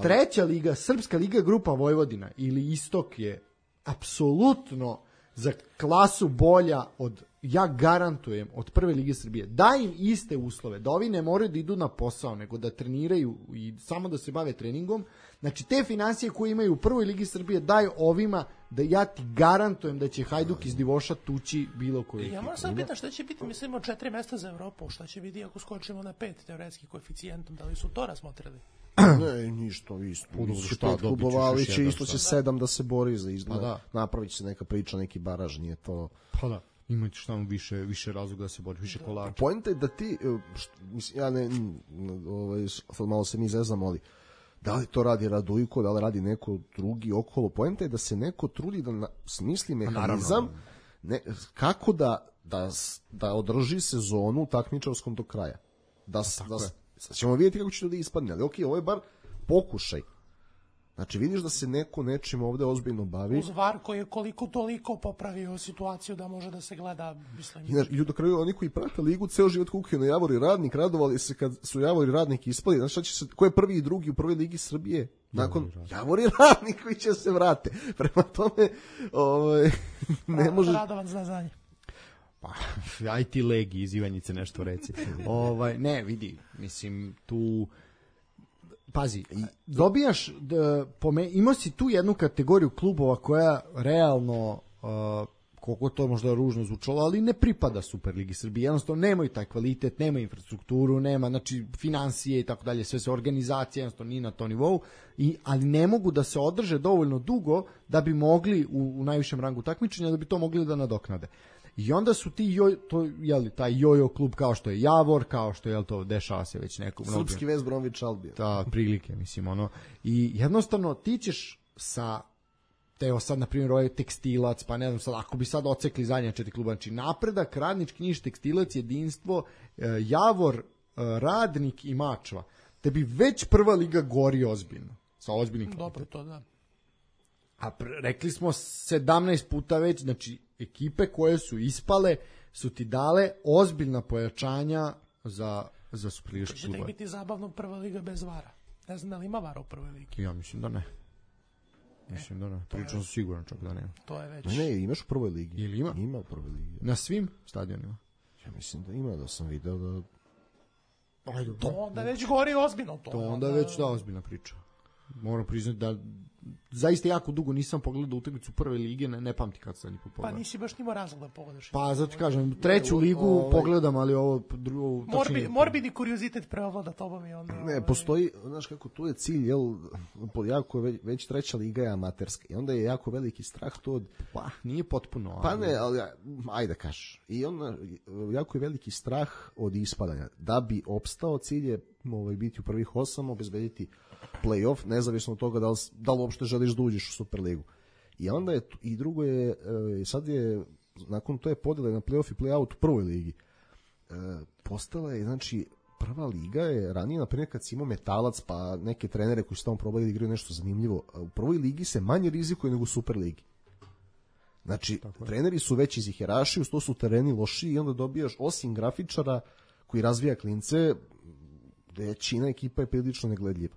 Treća liga, Srpska liga grupa Vojvodina ili Istok je apsolutno za klasu bolja od, ja garantujem, od prve lige Srbije. Daj im iste uslove, da ovi ne moraju da idu na posao, nego da treniraju i samo da se bave treningom. Znači, te financije koje imaju u prvoj ligi Srbije, daj ovima, da ja ti garantujem da će Hajduk iz Divoša tući bilo koju. Ja moram sad pitan šta će biti, mislimo, četiri mesta za Evropu, šta će biti ako skočimo na pet teoretski koeficijentom, da li su to razmotrili? Ne, ništa, isto. Šta, klubova, ali će isto će sedam da se bori za izbor. Pa da. Napravit će se neka priča, neki baraž, nije to... Pa da, imaće šta više, više razloga da se bori, više da. Kolača. Poenta je da ti, što, mislim, ja ne, ovaj, malo se mi zeznamo, ali da li to radi Radujko, da li radi neko drugi okolo, poenta je da se neko trudi da na, smisli mehanizam ne, kako da, da, da održi sezonu takmičarskom do kraja. Da, da, sad ćemo vidjeti kako će to da ispadne, ali ok, ovo je bar pokušaj. Znači vidiš da se neko nečim ovde ozbiljno bavi. Uz V A R koji je koliko toliko popravio situaciju da može da se gleda, mislim. I, i do kraju oni koji prate ligu ceo život kukaju na Javor i Radnik, radovali se kad su Javor i Radnik ispali. Znači šta će se, ko je prvi i drugi u prvoj ligi Srbije? Nakon Javor i Radnik koji će se vrate. Prema tome, ovaj ne može. Radovan zna znanje. Pa, aj ti Legi iz Ivanjice nešto reci. ovaj, ne, vidi, mislim, tu... Pazi, dobijaš, da, pome, imao si tu jednu kategoriju klubova koja realno, uh, koliko to možda ružno zvučalo, ali ne pripada Superligi Srbije. Jednostavno nemaju taj kvalitet, nema infrastrukturu, nema, znači, financije i tako dalje, sve se organizacija, jednostavno nije na to nivou, i, ali ne mogu da se održe dovoljno dugo da bi mogli u, u najvišem rangu takmičenja, da bi to mogli da nadoknade. I onda su ti joj, to je li taj jojo klub kao što je Javor, kao što je to dešava se već neko mnogo. Srpski West Bromwich Albion. Ta prilike, mislim, ono. I jednostavno ti ćeš sa teo sad na primjer ovaj Tekstilac, pa ne znam sad, ako bi sad ocekli zadnje četiri kluba, znači Napredak, Radnički, Niš, Tekstilac, Jedinstvo, Javor, Radnik i Mačva, te bi već prva liga gori ozbiljno. Sa ozbiljnim kvalitetom. Dobro, to da. A pre, rekli smo sedamnaest puta već, znači ekipe koje su ispale su ti dale ozbiljna pojačanja za, za superligaški klub. Će tek biti zabavno prva liga bez vara. Ne znam da li ima vara u prvoj ligi. Ja mislim da ne. Mislim da ne. Pričam sam siguran čak da nema. To je već. Ne, ne, imaš u prvoj ligi. Ili ima? Ima u prvoj ligi. Na svim stadionima? Ja mislim da ima, da sam video da... Ajde, to onda već gori ozbiljno. To, to onda već da ozbiljna priča. Moram priznati da zaista jako dugo nisam pogledao utakmicu prve lige, ne, ne pamti kad sam ni pogledao. Pa nisi baš nimo razlog da pogledaš. Pa zato kažem, treću ligu o, pogledam, ali ovo drugo... Morbi, morbidni kuriozitet preovlada tobom i onda... Ne, postoji, znaš kako, tu je cilj, jel, jako već, već treća liga je amaterska i onda je jako veliki strah to od... Pa, nije potpuno. Ali... Pa ne, ali ajde da kažeš. I onda jako je veliki strah od ispadanja. Da bi opstao, cilj je ovaj, biti u prvih osam, obezbediti play-off, nezavisno od toga da li, da li uopšte želiš da uđeš u Superligu. I onda je, i drugo je, sad je, nakon to je podjela na play-off i play-out u prvoj ligi. Postala je, znači, prva liga je ranije, naprimjer, kad si imao Metalac, pa neke trenere koji su tamo probali da igraju nešto zanimljivo, u prvoj ligi se manje rizikuje nego u Superligi. Znači, treneri su već iz iherašiju, to su tereni lošiji i onda dobijaš, osim grafičara koji razvija klince, većina ekipa je prilično negledljiva.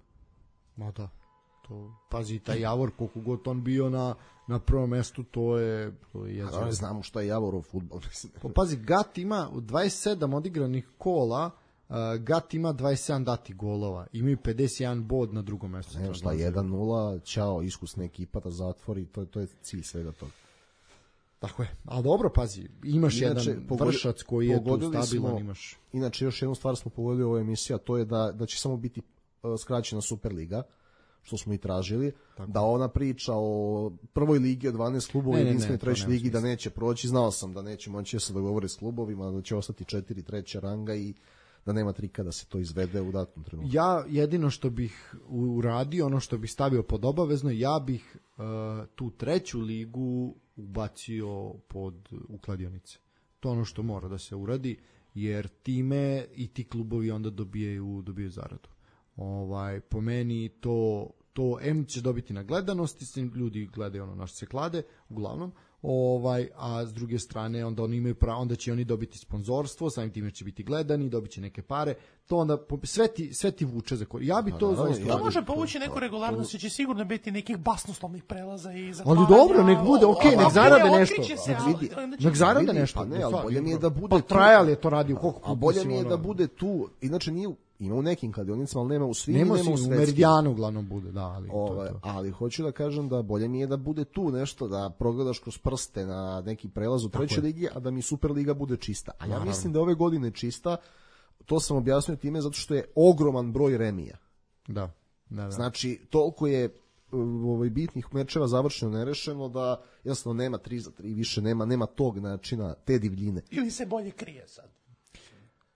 Ma da. To, pazi, taj Javor, koliko god on bio na, na prvom mestu, to je... To je A da, znamo šta je Javorov fudbal. Pa, pazi, Gat ima dvadeset sedam odigranih kola, uh, Gat ima dvadeset sedam dati golova. Imaju pedeset jedan bod na drugom mestu. Ne, šta, jedan nula, ćao, iskusna ekipa da zatvori, to, to je cilj svega toga. Tako je. A dobro, pazi, imaš inače, jedan pogodi, vršac koji je tu stabilan, smo, imaš. Inače, još jednu stvar smo pogodili u ovoj emisiji, a to je da, da će samo biti uh, skraćena Superliga, što smo i tražili, tako. Da ona priča o prvoj ligi od dvanaest klubova i jedinstvenoj trećoj ligi da neće proći, znao sam da neće moći da se dogovore s klubovima, da će ostati četiri treća ranga i da nema trika da se to izvede u datom trenutku. Ja jedino što bih uradio, ono što bih stavio pod obavezno, ja bih uh, tu treću ligu ubacio pod u kladionice. To je ono što mora da se uradi, jer time i ti klubovi onda dobijaju, dobijaju zaradu. Ovaj, po meni to, to M će dobiti na gledanosti, ljudi gledaju ono na što se klade, uglavnom, ovaj, a s druge strane onda oni imaju pravo, onda će oni dobiti sponzorstvo, samim time će biti gledani, dobit će neke pare, to onda sve ti, sve ti vuče za kor. Ja bi to zaista... To može povući neku regularnost, će sigurno biti nekih basnoslovnih prelaza i zatvaranja. Ali dobro, nek bude, okej, nek zarade nešto. Nek zarade nešto. Pa ne, ali bolje mi je da bude... Pa Trajal je to radio, koliko puta. A bolje mi je da bude tu, inače nije... Ima u nekim kladionicama, ali nema u svim, nema, nema u svetskim. U Meridijanu uglavnom bude, da, ali Ove, to, to. Ali hoću da kažem da bolje mi je da bude tu nešto, da progledaš kroz prste na neki prelaz u trećoj ligi, a da mi Superliga bude čista. A ja Naravno. mislim da ove godine čista, to sam objasnio time zato što je ogroman broj remija. Da, da, da. Znači, toliko je ovaj bitnih mečeva završeno nerešeno da jednostavno nema tri za tri, više nema, nema tog načina, te divljine. Ili se bolje krije sad.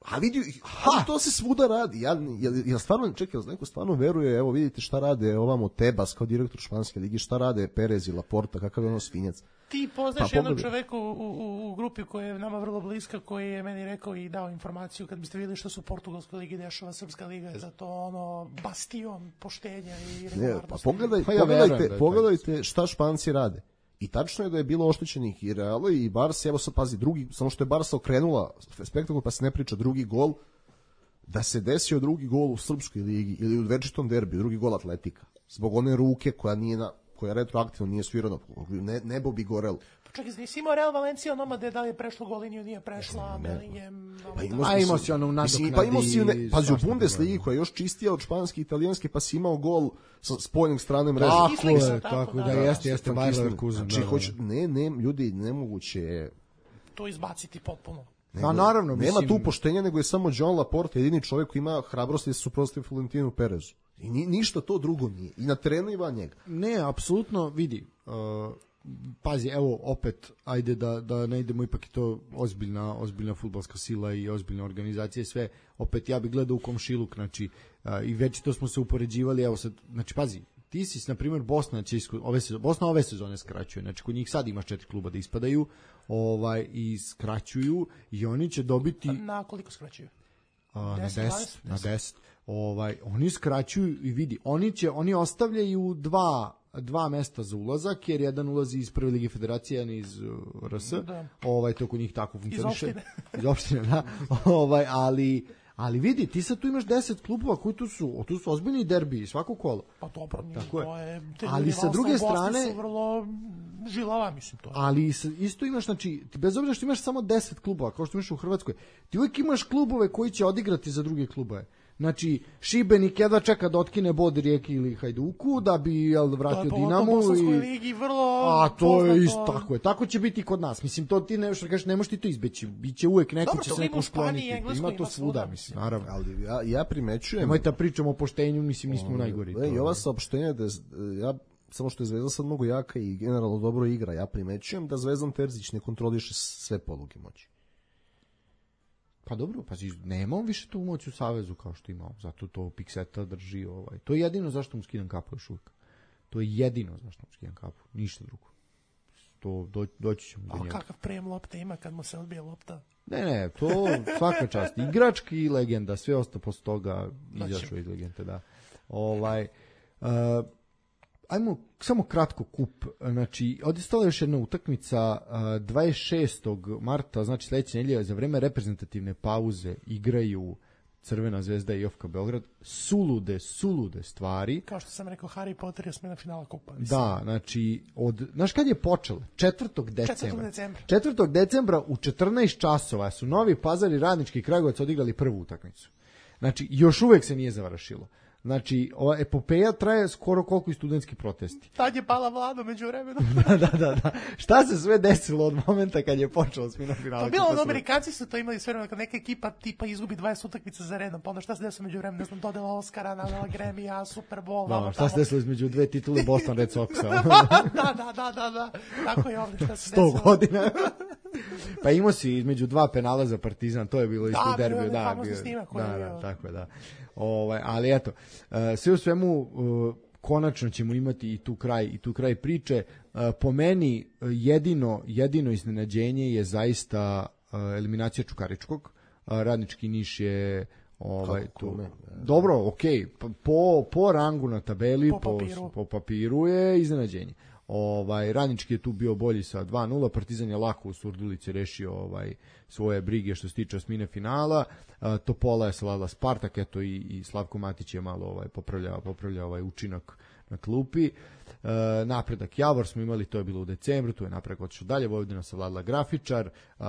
A vidi, ha, to se svuda radi. Ja, ja, ja stvarno, čekaj, neko stvarno veruje, evo vidite šta rade ovamo Tebas kao direktor španske ligi, šta rade Perez i Laporta, kakav je ono svinjac. Ti poznaš pa, jednog čoveka u, u, u grupi koja je nama vrlo bliska, koji je meni rekao i dao informaciju, kad biste vidjeli što su u portugalskoj ligi dešava, srpska liga je za to ono bastion poštenja i regularnosti. Pa pogledaj, pa ja pogledajte, da pogledajte šta Španci rade. I tačno je da je bilo oštećenih i Reala i Barsa, evo sad pazi, drugi, samo što je Barsa okrenula spektakl, pa se ne priča drugi gol, da se desio drugi gol u srpskoj ligi ili u večitom derbiju, drugi gol Atletika. Zbog one ruke koja nije na, koja retroaktivno nije svirana, ne, nebo bi gorelo. Čekaj, nisi imao Real Valencija onoma da je li je prešlo gol liniju, nije prešla, Bellingham... Pa imao a imao si ono nadoknadi... Pa imao si, ne, pazi, u Bundesligi koja je još čistija od španske i italijanske, pa si imao gol sa spoljnog strane mreže. Tako je, tako da, da jeste, jeste Bayer Leverkusen. Znači, hoće, ne, ne, ljudi, nemoguće je... To izbaciti potpuno. Nego, a naravno, nema mislim... tu poštenja, nego je samo John Laporte jedini čovjek koji ima hrabrosti da se suprotstavi Florentinu Perezu. I ni, ništa to drugo nije. I na terenu i van njega. Ne, apsolutno, vidi... Uh... Pazi, evo opet, ajde da, da ne idemo, ipak je to ozbiljna, ozbiljna fudbalska sila i ozbiljna organizacija i sve, opet ja bih gledao u komšiluk, znači, a, i već to smo se upoređivali, evo sad, znači pazi, ti si, na primjer, Bosna će isku, ove sezone, Bosna ove sezone skraćuje, znači kod njih sad imaš četiri kluba da ispadaju, ovaj, i skraćuju i oni će dobiti... Na koliko skraćuju? A, deset, na deset, na deset. Ovaj, oni skraćuju i vidi, oni će, oni ostavljaju dva dva mesta za ulazak, jer jedan ulazi iz prve lige federacije, jedan iz uh, R S. Da. Ovaj, to kod njih tako funkcioniše. Iz opštine. Iz opštine, da. Ovaj, ali, ali vidi, ti sad tu imaš deset klubova koji tu su, tu su ozbiljni derbiji, svako kolo. Pa dobro, tako to je. je ali sa druge strane... su vrlo žilava, mislim to. Ali isto imaš, znači, ti bez obzira što imaš samo deset klubova, kao što imaš u Hrvatskoj, ti uvijek imaš klubove koji će odigrati za druge klubove. Znači, Šibenik jedva čeka da otkine bod Rijeki ili Hajduku, da bi jel, vratio Dinamu. To je po ligi vrlo... A to je isto, tako je. Tako će biti i kod nas. Mislim, to ti ne, što kažeš, ne možeš ti to izbeći. Biće uvek neko, dobro, će se neko skloniti. Ima to svuda, mislim, naravno. Ali ja, ja primećujem... Nemoj da pričamo o poštenju, mislim, nismo najgori. I ova saopštenja, da ja, samo što je Zvezda sad mnogo jaka i generalno dobro igra, ja primećujem da Zvezdan Terzić ne kontroliše sve poluge moći. Pa dobro, pa nema on više tu moć u Savezu kao što imao, zato to Pikseta drži. Ovaj. To je jedino zašto mu skidam kapu još uvijek. To je jedino zašto mu skidam kapu, ništa drugo. To do, doći ćemo do njega. A kakav prijem lopte ima kad mu se odbije lopta? Ne, ne, to svaka čast. Igrački i legenda, sve ostalo posle toga izašao iz legende, da. Ovaj, uh, ajmo samo kratko kup. Znači, odistala još jedna utakmica dvadeset šestog marta, znači sledeće nedelje, za vreme reprezentativne pauze igraju Crvena zvezda i O F K Beograd. Sulude, sulude stvari. Kao što sam rekao, Harry Potter je osmina finala kupa. Mislim. Da, znači, od, znaš kad je počelo? četvrtog decembra. četvrtog decembra. četvrtog decembra u četrnaest časova su Novi Pazar i Radnički Kragujevac odigrali prvu utakmicu. Znači, još uvek se nije završilo. Znači, ova epopeja traje skoro koliko i studentski protesti. Tad je pala vlada među vremenom. da, da, da, da. Šta se sve desilo od momenta kad je počelo smino finala? Pa bilo ono, Amerikanci su to imali sve vremena, kad neka ekipa tipa izgubi dvadeset utakmica za redom, pa onda šta se desilo među vremenom, ne znam, dodela Oscara, nadala Grammy-a, Super Bowl. Da, no, šta se desilo između dve titule Boston Red Soxa? da, da, da, da, da. Tako je ovdje šta se desilo. Sto godina. Pa imao si između dva penala za Partizan, to je bilo isto u derbiju. Da, bio, snimak da, da, da, tako je, da. Ovaj, ali eto, uh, sve u svemu uh, konačno ćemo imati i tu kraj i tu kraj priče. Uh, po meni jedino jedino iznenađenje je zaista uh, eliminacija Čukaričkog. Uh, Radnički Niš je ovaj Kako, tu. Kome? Dobro, okej, okay. po po rangu na tabeli, po papiru, po, po papiru je iznenađenje. Ovaj, Radnički je tu bio bolji sa dva nula, Partizan je lako u Surdulici rešio ovaj, svoje brige što se tiče osmine finala, uh, Topola je savladala Spartak, eto i, i Slavko Matić je malo ovaj, popravljao, popravljao ovaj učinak na klupi. Uh, napredak Javor smo imali, to je bilo u decembru, tu je napredak otišao dalje, Vojvodina savladala Grafičar, uh,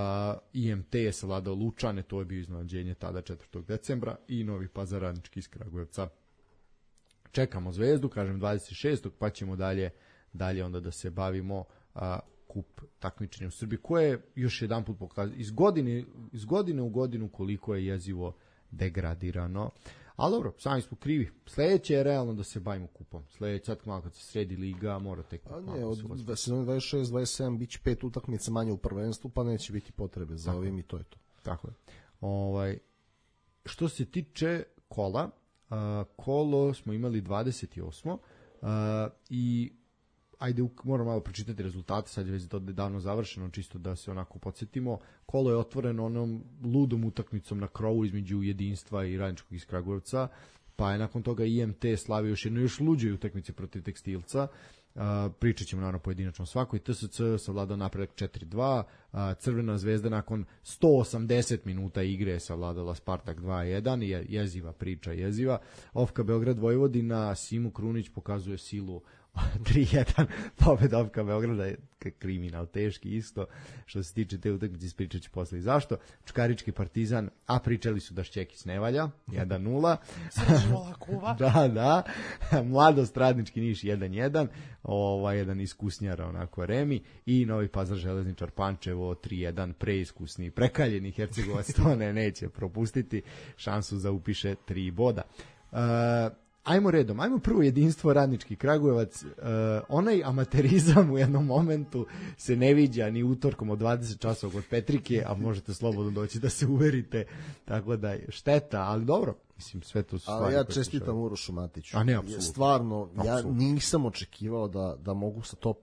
I M T je savladao Lučane, to je bio iznenađenje tada četvrtog decembra i Novi Pazar Radnički iz Kragujevca. Čekamo Zvezdu, kažem dvadeset šestog pa ćemo dalje dalje onda da se bavimo a, kup takmičenja u Srbiji, koje je još jedan put pokazuje iz godine, iz godine u godinu koliko je jezivo degradirano. Ali dobro, sami smo krivi. Sledeće je realno da se bavimo kupom. Sledeće, sad malo kad se sredi liga, mora tek... A ne, od sezone dvadeset šest dvadeset sedam biće pet utakmica manje u prvenstvu, pa neće biti potrebe za ovim i to je to. Tako je. Ovaj, što se tiče kola, a, kolo smo imali dvadeset osmo a, i ajde, moram malo pročitati rezultate, sad je već to davno završeno, čisto da se onako podsjetimo. Kolo je otvoreno onom ludom utakmicom na krovu između Jedinstva i Radničkog iz Kragujevca, pa je nakon toga I M T slavio još jednu još luđoj utakmici protiv Tekstilca. Uh, pričat ćemo naravno pojedinačno svakoj. T S C savladao napredak četiri dva, uh, Crvena zvezda nakon sto osamdeset minuta igre savladala Spartak dva jedan, je, jeziva priča, jeziva. Ofka Beograd Vojvodina, Simu Krunić pokazuje silu tri jedan, pobeda Ofka Beograda je kriminal, teški isto. Što se tiče te utakmice, ispričat ću posle i zašto. Čukarički Partizan, a pričali su da Šćekić ne valja, jedan nula. da, da. Mladost Radnički Niš jedan jedan, ovaj jedan iskusnjara onako Remi i Novi Pazar Železničar Pančevo tri jedan, preiskusni, prekaljeni Hercegovac to ne neće propustiti šansu za upiše tri boda. Uh, Ajmo redom, ajmo prvo Jedinstvo Radnički Kragujevac, uh, onaj amaterizam u jednom momentu se ne viđa ni utorkom od dvadeset časova kod Petrike, a možete slobodno doći da se uverite, tako da je šteta, ali dobro, mislim sve to su stvari. Ali ja čestitam Urošu Matiću, a ne, apsolutno. Stvarno, apsolutno. Ja nisam očekivao da, da mogu sa top,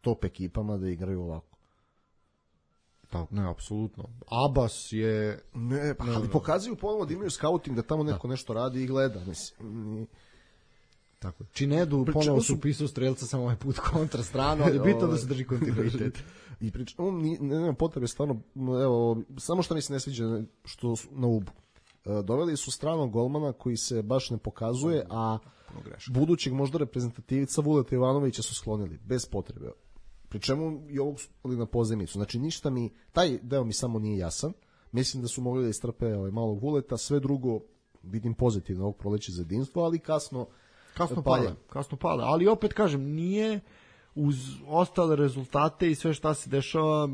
top ekipama da igraju ovako. Pa, ne, apsolutno. Abas je... Ne, pa, ali pokazuju ponovno da imaju scouting, da tamo neko da. nešto radi i gleda. Mislim. Tako. Činedu ponovo su upisao strelca samo ovaj put kontra stranu, ali bitno da se drži kontinuitet. I priča, on ne, nema potrebe, stvarno, evo, samo što mi se ne sviđa što su na Ubu. Doveli su stranog golmana koji se baš ne pokazuje, a budućeg možda reprezentativica Vuleta Ivanovića su sklonili, bez potrebe. Pri čemu i ovog su na pozemicu. Znači ništa mi, taj deo mi samo nije jasan. Mislim da su mogli da istrpe ovaj malog Vuleta, sve drugo vidim pozitivno ovog proleća za Jedinstvo, ali kasno kasno pada, kasno pada, ali opet kažem, nije uz ostale rezultate i sve šta se dešava,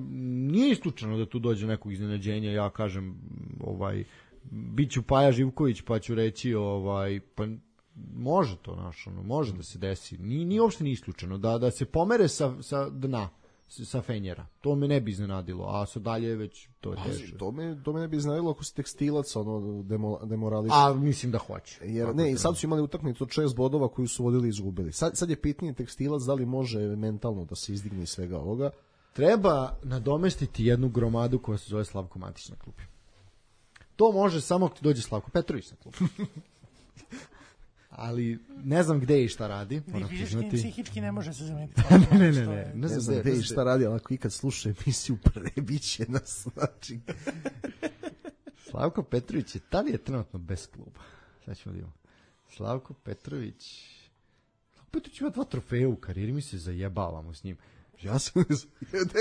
nije isključeno da tu dođe nekog iznenađenja. Ja kažem, ovaj biću Paja Živković, pa ću reći ovaj pa može to naš, ono, može da se desi. Ni ni uopšte nije isključeno da da se pomere sa sa dna, sa Fenjera. To me ne bi iznenadilo, a sa dalje već to je teško. To me to me ne bi iznenadilo ako se Tekstilac ono demo, demorališe. A mislim da hoće. Jer tako ne, i sad su imali utakmicu od šest bodova koju su vodili i izgubili. Sad sad je pitanje Tekstilac da li može mentalno da se izdigne iz svega ovoga. Treba nadomestiti jednu gromadu koja se zove Slavko Matić na klupi. To može samo ako ti dođe Slavko Petrović na klupu. Ali ne znam gde i šta radi. Fizički i psihički ne može se zameniti. ne, ne, ne, ne. Ne znam gde i šta radi, ali ako ikad sluša emisiju prebiće nas. Znači. Slavko Petrović je, da li je trenutno bez kluba? Sad ćemo da imamo. Slavko Petrović... Slavko Petrović ima dva trofeja u karijeri, mi se zajebavamo s njim. Ja sam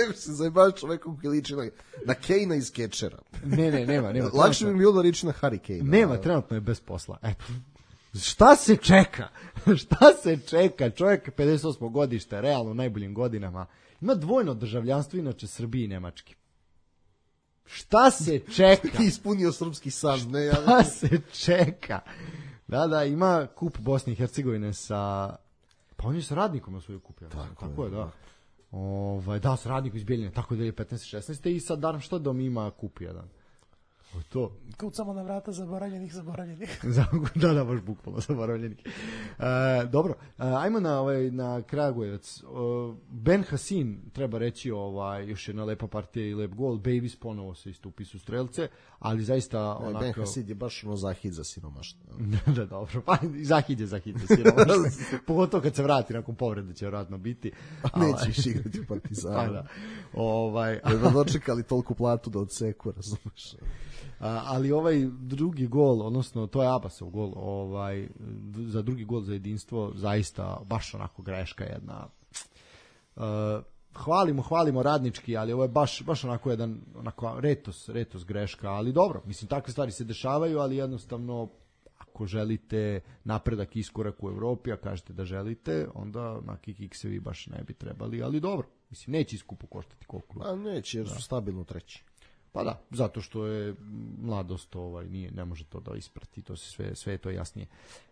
ne se zajebavaš čovekom koji liči na, na Kejna iz Catchera. Ne, ne, nema. nema Lakše bi mi bilo da liči na Harry Kane. Nema, trenutno je bez posla. Eto. Šta se čeka? Šta se čeka? Čovjek pedeset osmo godište, realno u najboljim godinama. Ima dvojno državljanstvo, inače Srbiji i Nemački. Šta se čeka? Ispunio srpski san. Ne, ja... Šta se čeka? Da, da, ima kup Bosne i Hercegovine sa... Pa on je sa Radnikom na svoju kupio. Tako, tako je, da. Ovaj, da, sa Radnikom iz Bijeljine, tako dvije hiljade petnaeste šesnaeste i sad Darmstadt ima kup jedan. To. Kucamo na vrata zaboravljenih, zaboravljenih. da, da, baš bukvalno zaboravljenih. Uh, dobro, uh, ajmo na ovaj na Kragujevac. Uh, Ben Hasin, treba reći, ovaj još jedna lepa partija i lep gol. Babies ponovo se istupi su strelce, ali zaista ne, onako Ben Hasin je baš ono zahid za siromaštvo. da, dobro, pa zahid je zahid za siromaštvo. Pogotovo kad se vrati nakon povrede će vjerojatno biti. Ali neće više igrati u Partizanu. Pa da. Ovaj, da dočekali toliku platu da odseku, razumeš? A, ali ovaj drugi gol, odnosno to je Abasov gol, ovaj za drugi gol za jedinstvo zaista baš onako greška jedna. Uh, hvalimo, hvalimo radnički, ali ovo je baš baš onako jedan onako retos, retos greška, ali dobro, mislim takve stvari se dešavaju, ali jednostavno ako želite napredak, iskorak u Evropi, a kažete da želite, onda na kikiksevi baš ne bi trebali, ali dobro, mislim neće iskupo koštati koliko. A neće, jer su da. stabilno treći. Pa da, zato što je mladost, ovaj, nije, ne može to da isprati, to se sve, sve je to jasnije.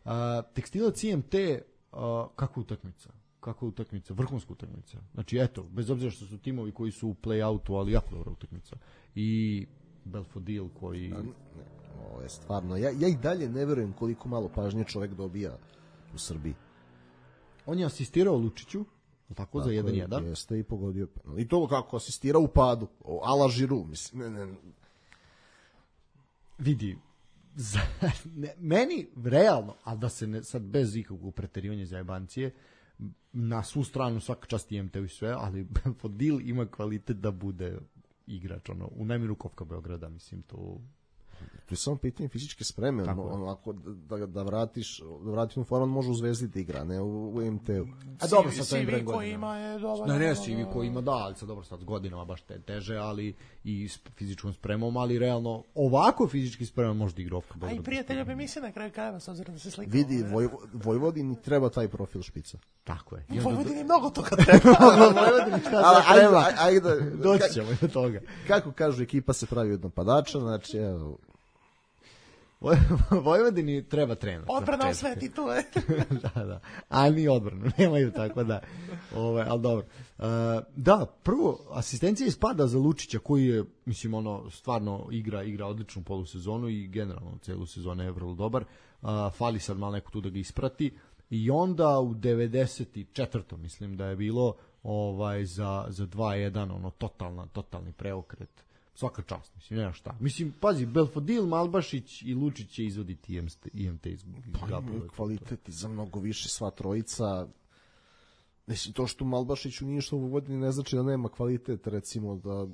Uh, Tekstilac I M T, uh, kakva utakmica? Kakva utakmica? Vrhunska utakmica. Znači, eto, bez obzira što su timovi koji su u play-outu, ali jako dobra utakmica. I Belfodil koji... Ne, ne, ovo je stvarno, ja, ja i dalje ne verujem koliko malo pažnje čovek dobija u Srbiji. On je asistirao Lučiću, tako, tako za jedan jedan. Jeste i pogodio penal. I to kako asistira u padu. Ala Žiru, mislim. Ne, ne. Vidi, za, ne, meni realno, a da se ne, sad bez ikakvog preterivanja zajebancije, na svu stranu svaka čast I M T-u i sve, ali Belfodil ima kvalitet da bude igrač, ono, u najmiru Kovka Beograda, mislim, to... To je samo pitanje fizičke spreme, ono, onako da, da vratiš, da vratiš u formu, može u Zvezdi da igra, ne u, u I M T-u. A dobro, sad to je broj koji ima je dobar. Ne, ne, C V koji ima, da, ali sad dobro, sad s godinama baš te, teže, ali i s fizičkom spremom, ali realno ovako fizički spremom može da igra Kovka Beograda. A i prijatelja bi misli na kraju krajeva, s obzirom da se slika. Vidi, Voj, Vojvodini treba taj profil špica. Tako je. Vojvodini mnogo toga treba. Vojvodini šta se treba. Ajde, doći ćemo do toga. Kako kažu, ekipa se pravi od napadača, znači, evo, Vojvodini treba trener. Odbrana sve titule. da, da. Ali ni odbranu, nemaju tako da. Ovaj, al dobro. Uh, da, prvo asistencija ispada za Lučića koji je, mislim, ono stvarno igra igra odličnu polusezonu i generalno celu sezonu je vrlo dobar. Uh, fali sad malo neko tu da ga isprati i onda u devedeset četvrtom mislim da je bilo ovaj za za dva jedan ono totalna totalni preokret. Svaka čast, mislim, nema šta. Mislim, pazi, Belfodil, Malbašić i Lučić će izvoditi I M T iz Gabova. Kvaliteti za mnogo više sva trojica. Mislim, to što Malbašić u ništa u Vojvodini ne znači da nema kvalitet, recimo da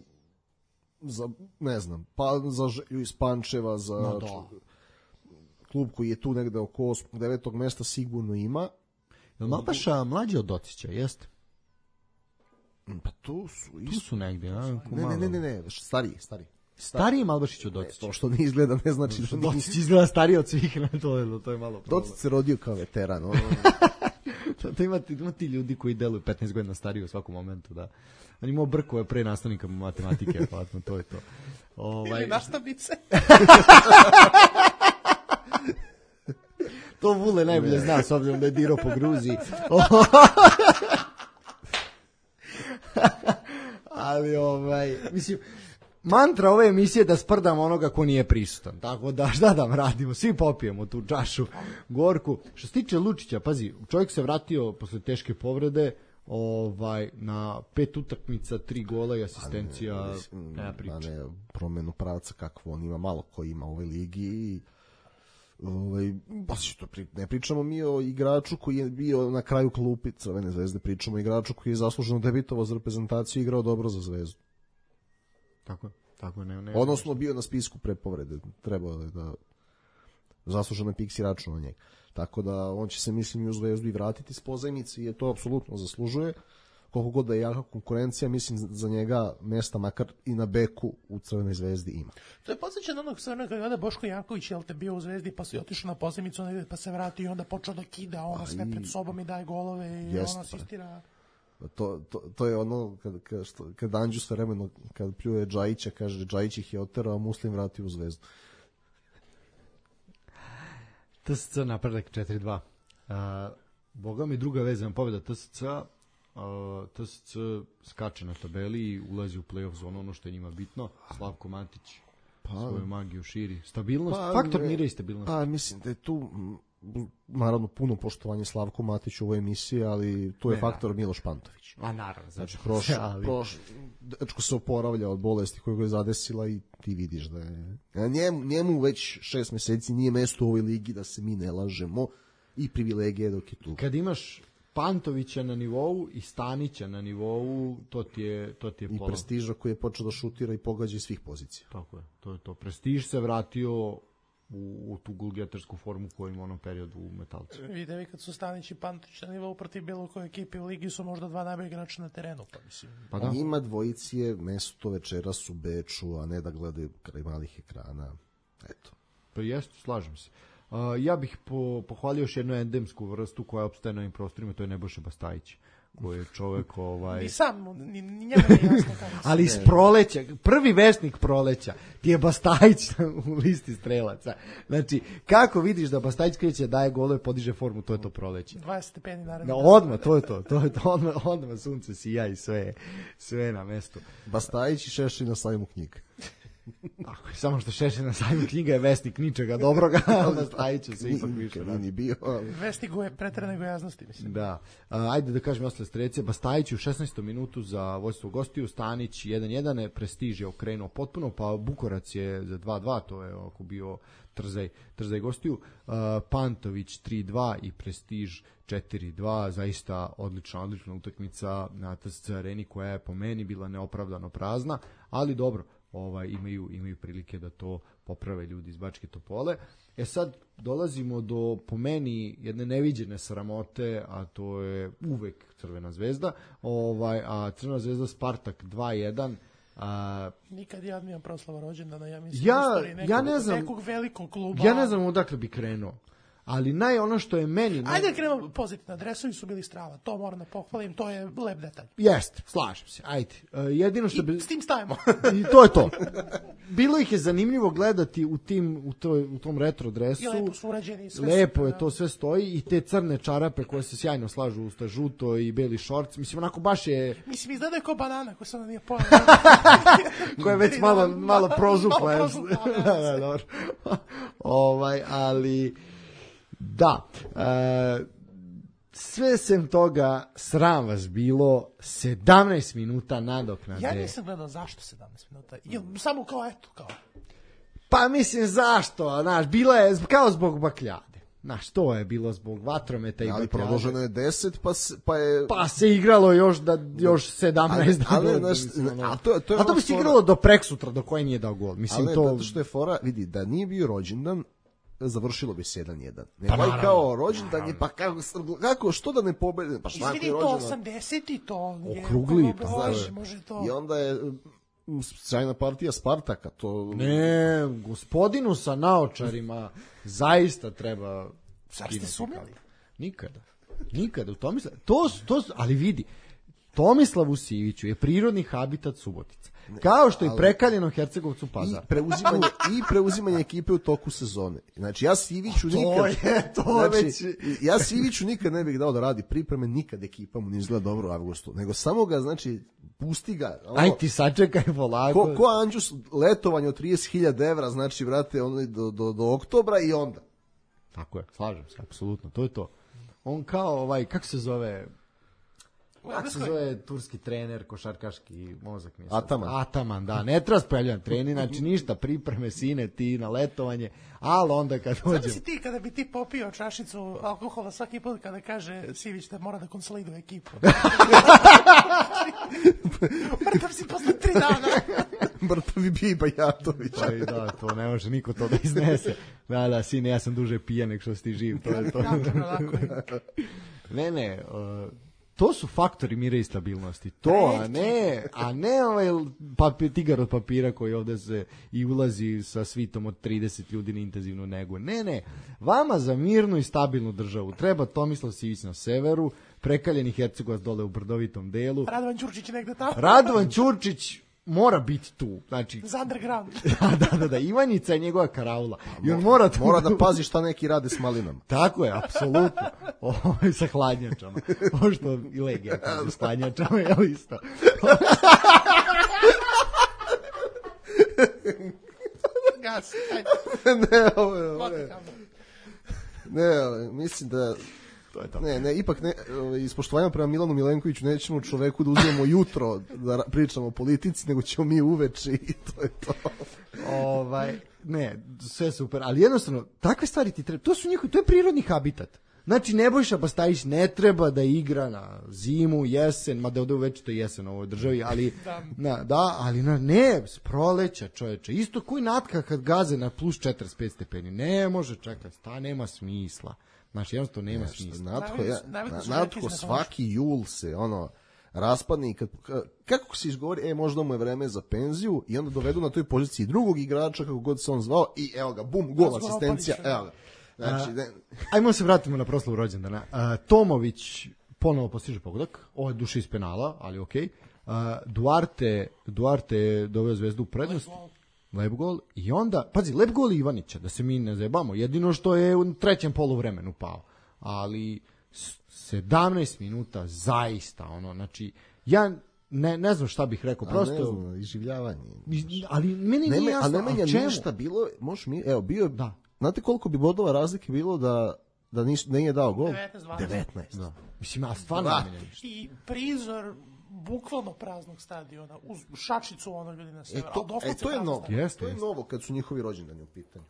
za, ne znam, pa za Želju iz Pančeva, za no, da. klub koji je tu negde oko osmog devetog mesta sigurno ima. Jel Malbaša mlađi od Docića, jeste? Pa tu su isto. Tu su negdje, a? Ne, ne, ne, ne, ne, stariji, stariji. Stariji Malbašić od Docića. To što ne izgleda ne znači da Docić izgleda stariji od svih, na to je, to je malo problem. Docić se rodio kao veteran. Ono. to, to ima, ima ti ljudi koji deluju petnaest godina stariji u svakom momentu, da. On imao brkove pre nastavnika matematike, pa to je to. Ovaj... Ili nastavnice. To Vule najbolje zna, s obzirom da je dirao po Gruziji. Ali ovaj, mislim, mantra ove emisije da sprdamo onoga ko nije prisutan. Tako da šta da radimo, svi popijemo tu čašu gorku. Što se tiče Lučića, pazi, čovjek se vratio posle teške povrede, ovaj na pet utakmica, tri gola i asistencija, nema priča. Ne, promenu pravca kakvo on ima, malo ko ima u ovoj ligi i ovaj baš što pri, ne pričamo mi o igraču koji je bio na kraju klupe Crvene Zvezde, pričamo o igraču koji je zasluženo debitovao za reprezentaciju i igrao dobro za Zvezdu. Tako, tako ne, ne. Odnosno bio na spisku pre povrede, trebalo je da zasluženo Piksi račun na njega. Tako da on će se, mislim, i u Zvezdu i vratiti s pozajmice i je to apsolutno zaslužuje. Koliko god da je jaka konkurencija, mislim za njega mesta makar i na beku u Crvenoj Zvezdi ima. To je podsjećan onog stvarno kada je Boško Janković, jel te bio u Zvezdi pa se otišao na pozajmicu pa se vratio i onda počeo da kida ono sve pred sobom i daje golove i jest, ono asistira. To, to, to je ono kad, kad, što, kad Anđu sve vremeno kad pljuje Džajića, kaže Džajić ih je oterao, a Muslim vratio u Zvezdu. T S C napredak četiri dva. Uh, Boga mi druga vezana pobjeda T S C. Uh, T S C skače na tabeli i ulazi u play-off zonu, ono što je njima bitno. Slavko Matić pa, svoju magiju širi. Stabilnost, pa, faktor mira i stabilnost. Pa mislim da je tu naravno puno poštovanje Slavku Matiću u ovoj emisiji, ali tu je ne, faktor da. Miloš Pantović. A naravno. Znači, proš, ali... proš, dečko se oporavlja od bolesti koju ga je zadesila i ti vidiš da je... Njemu, njemu već šest meseci nije mesto u ovoj ligi, da se mi ne lažemo, i privilegije dok je tu. Kad imaš Pantovića na nivou i Stanića na nivou, to ti je, to ti je i pola. Prestiža koji je počeo da šutira i pogađa iz svih pozicija. Tako je, to je to. Prestiž se vratio u, u tu gulgetarsku formu koju ima u onom periodu u Metalcu. Vide vi kad su Stanić i Pantović na nivou protiv bilo koje ekipe u ligi su možda dva najbolja igrača na terenu. Pa mislim. Pa da. Njima dvojici je mesto večeras u Beču, a ne da gledaju kraj malih ekrana. Eto. Pa jeste, slažem se. Uh, ja bih po, pohvalio još jednu endemsku vrstu koja opstaje na ovim prostorima, to je Nebojša Bastajić, koji je čovek ovaj... Ni sam, ni, ni njemu nije jasno kako se... Ali iz proleća, prvi vesnik proleća ti je Bastajić u listi strelaca. Znači, kako vidiš da Bastajić kreće, daje golove, podiže formu, to je to proleće. dvadeset stepeni naredno. No, odmah, to je to, to je to, odmah, odmah sunce sija i sve, sve na mestu. Bastajić i Šešelj na sajmu knjiga. Ako je samo što Šešelj na sajmu knjiga je vesnik ničega dobroga, ali Bastajiću se ipak više. Nije bio, ali... Vesnik je preterane gojaznosti, mislim. Da. A, ajde da kažem ostale strece. Bastajić u šesnaestom minutu za vojstvo gostiju, Stanić jedan jedan, Prestiž je okrenuo potpuno, pa Bukorac je za dva dva, to je ako bio Trzaj, Trzaj gostiju, uh, Pantović tri dva i Prestiž četiri dva, zaista odlična, odlična utakmica na T S C areni koja je po meni bila neopravdano prazna, ali dobro, ovaj, imaju, imaju prilike da to poprave ljudi iz Bačke Topole. E sad dolazimo do, po meni, jedne neviđene sramote, a to je uvek Crvena zvezda, ovaj, a Crvena zvezda Spartak dva jedan. A, nikad ja nijem proslava rođendana, ja mislim ja, nekog, ja ne znam, nekog velikog kluba. Ja ne znam odakle bi krenuo. Ali naj ono što je meni... Ajde da krenemo pozitivno, dresovi su bili strava, to moram da pohvalim, to je lep detalj. Jeste, slažem se, ajde. Uh, jedino što I bi... s tim stavimo. I to je to. Bilo ih je zanimljivo gledati u, tim, u, toj, u tom retro dresu. I lepo su urađeni. Sve lepo su, je, to sve stoji i te crne čarape koje se sjajno slažu uz ta žuto i beli šorc. Mislim, onako baš je... Mislim, izgleda je kao banana koja se onda nije pojela. koja je već malo, malo prožukla. Malo prožukla, da, da, dobro. ovaj, ali... Da, e, sve sem toga sram vas bilo, sedamnaest minuta nadoknade. Ja nisam gledao zašto sedamnaest minuta, Jel, samo kao eto, kao. Pa mislim zašto, znaš, bila je kao zbog bakljade. Znaš, to je bilo zbog vatrometa i ali bakljade. Ali produženo je deset, pa, se, pa je... Pa se igralo još, da, još sedamnaest. Ali, ali, znaš, a to, to, je a to bi se igralo do preksutra, do koje nije dao gol. Mislim, ali to... zato što je fora, vidi, da nije bio rođendan, završilo bi se jedan jedan. Ne pa naravno, kao rođendan je, pa kako, kako, što da ne pobede? Pa šta izvini, to osamdeset i to je... Okrugli, pa može, može to. I onda je sjajna partija Spartaka, to... Ne, gospodinu sa naočarima zaista treba... Zar ste sumnjali? Nikada. Nikada. U Tomislav... to, to, ali vidi, Tomislavu Siviću je prirodni habitat Subotica. Kao što i prekaljeno Hercegovcu Pazar. I preuzimanje, i preuzimanje ekipe u toku sezone. Znači, ja Siviću to nikad... Je, to znači, već... ja Siviću nikad ne bih dao da radi pripreme, nikad ekipa mu ne izgleda dobro u avgustu. Nego samo ga, znači, pusti ga. Ono, aj ti sačekaj polako. Ko, ko Anđus, letovanje od trideset hiljada evra, znači, vrate, ono, do, do, do oktobra i onda. Tako je, slažem se, apsolutno, to je to. On kao, ovaj, kako se zove... Kako se zove turski trener, košarkaški mozak mi je Ataman. Ataman, da. Ne treba spojavljan trening, znači ništa, pripreme, sine, ti na letovanje, ali onda kad dođem... Znam si ti kada bi ti popio čašicu alkohola svaki put kada kaže Sivić da mora da konsoliduje ekipu. Mrtav si posle tri dana. Mrtav bi bio i Bajatović. Pa i da, to ne može niko to da iznese. Da, da, sine, ja sam duže pijan nek što si ti živ. To je to. ne, ne, uh, to su faktori mira i stabilnosti. To, a ne, a ne ovaj papir, tigar od papira koji ovde se i ulazi sa svitom od trideset ljudi na intenzivnu negu. Ne, ne, vama za mirnu i stabilnu državu treba Tomislav Sivić na severu, prekaljeni Hercegovac dole u brdovitom delu. Radovan Ćurčić negde tamo. Radovan Ćurčić mora biti tu. Znači, za underground. da, da, da, Ivanjica je njegova karaula. I on mora, tu... mora da pazi šta neki rade s malinama. Tako je, apsolutno. Ovo sa hladnjačama. Ovo što i Legija kaže s hladnjačama, je isto. Gas, ne, ovo je, ovo je. Ne, mislim da To je to. Ne, ne, ipak ne, iz poštovanja prema Milanu Milenkoviću nećemo čoveku da uzmemo jutro da pričamo o politici, nego ćemo mi uveče i to je to. Ovaj, ne, sve super, ali jednostavno, takve stvari ti treba, to su njihovi, to je prirodni habitat. Znači, Nebojša Bastajić ne treba da igra na zimu, jesen, mada ovde već to je jesen u ovoj državi, ali, na, da, ali na, ne, s proleća, čoveče, isto koji Natka kad gaze na plus četrdeset pet stepeni, ne može čekati, ta nema smisla. Znači, jednostavno nema Nešto, smisla. Natko, ja, Natko svaki jul se, ono, raspadne i kad, kako se izgovori, e, možda mu je vreme za penziju i onda dovedu na toj poziciji drugog igrača, kako god se on zvao, i evo ga, bum, gol, asistencija, evo ga. Znači, ne... Ajmo se vratimo na proslavu rođendana. A, Tomović ponovo postiže pogodak, ovo je duše iz penala, ali okej. Okay. Duarte, Duarte je doveo Zvezdu u prednost. Lep gol. I onda, pazi, lep gol Ivanića, da se mi ne zajebamo. Jedino što je u trećem poluvremenu pao. Ali sedamnaest minuta zaista, ono, znači, ja ne, ne znam šta bih rekao, prosto... A ne znam, iživljavanje. Ali meni ne, nije jasno, a ne menja ništa bilo, možeš mi, evo, bio, da. Znate koliko bi bodova razlike bilo da da nis, nije dao gol? devetnaest. Da. Mislim, a stvarno ne menja ništa. I prizor bukvalno praznog stadiona, uz šačicu ono ljudi na severu. E to, e, to je novo, jest, to je jest. novo kad su njihovi rođendani u pitanju.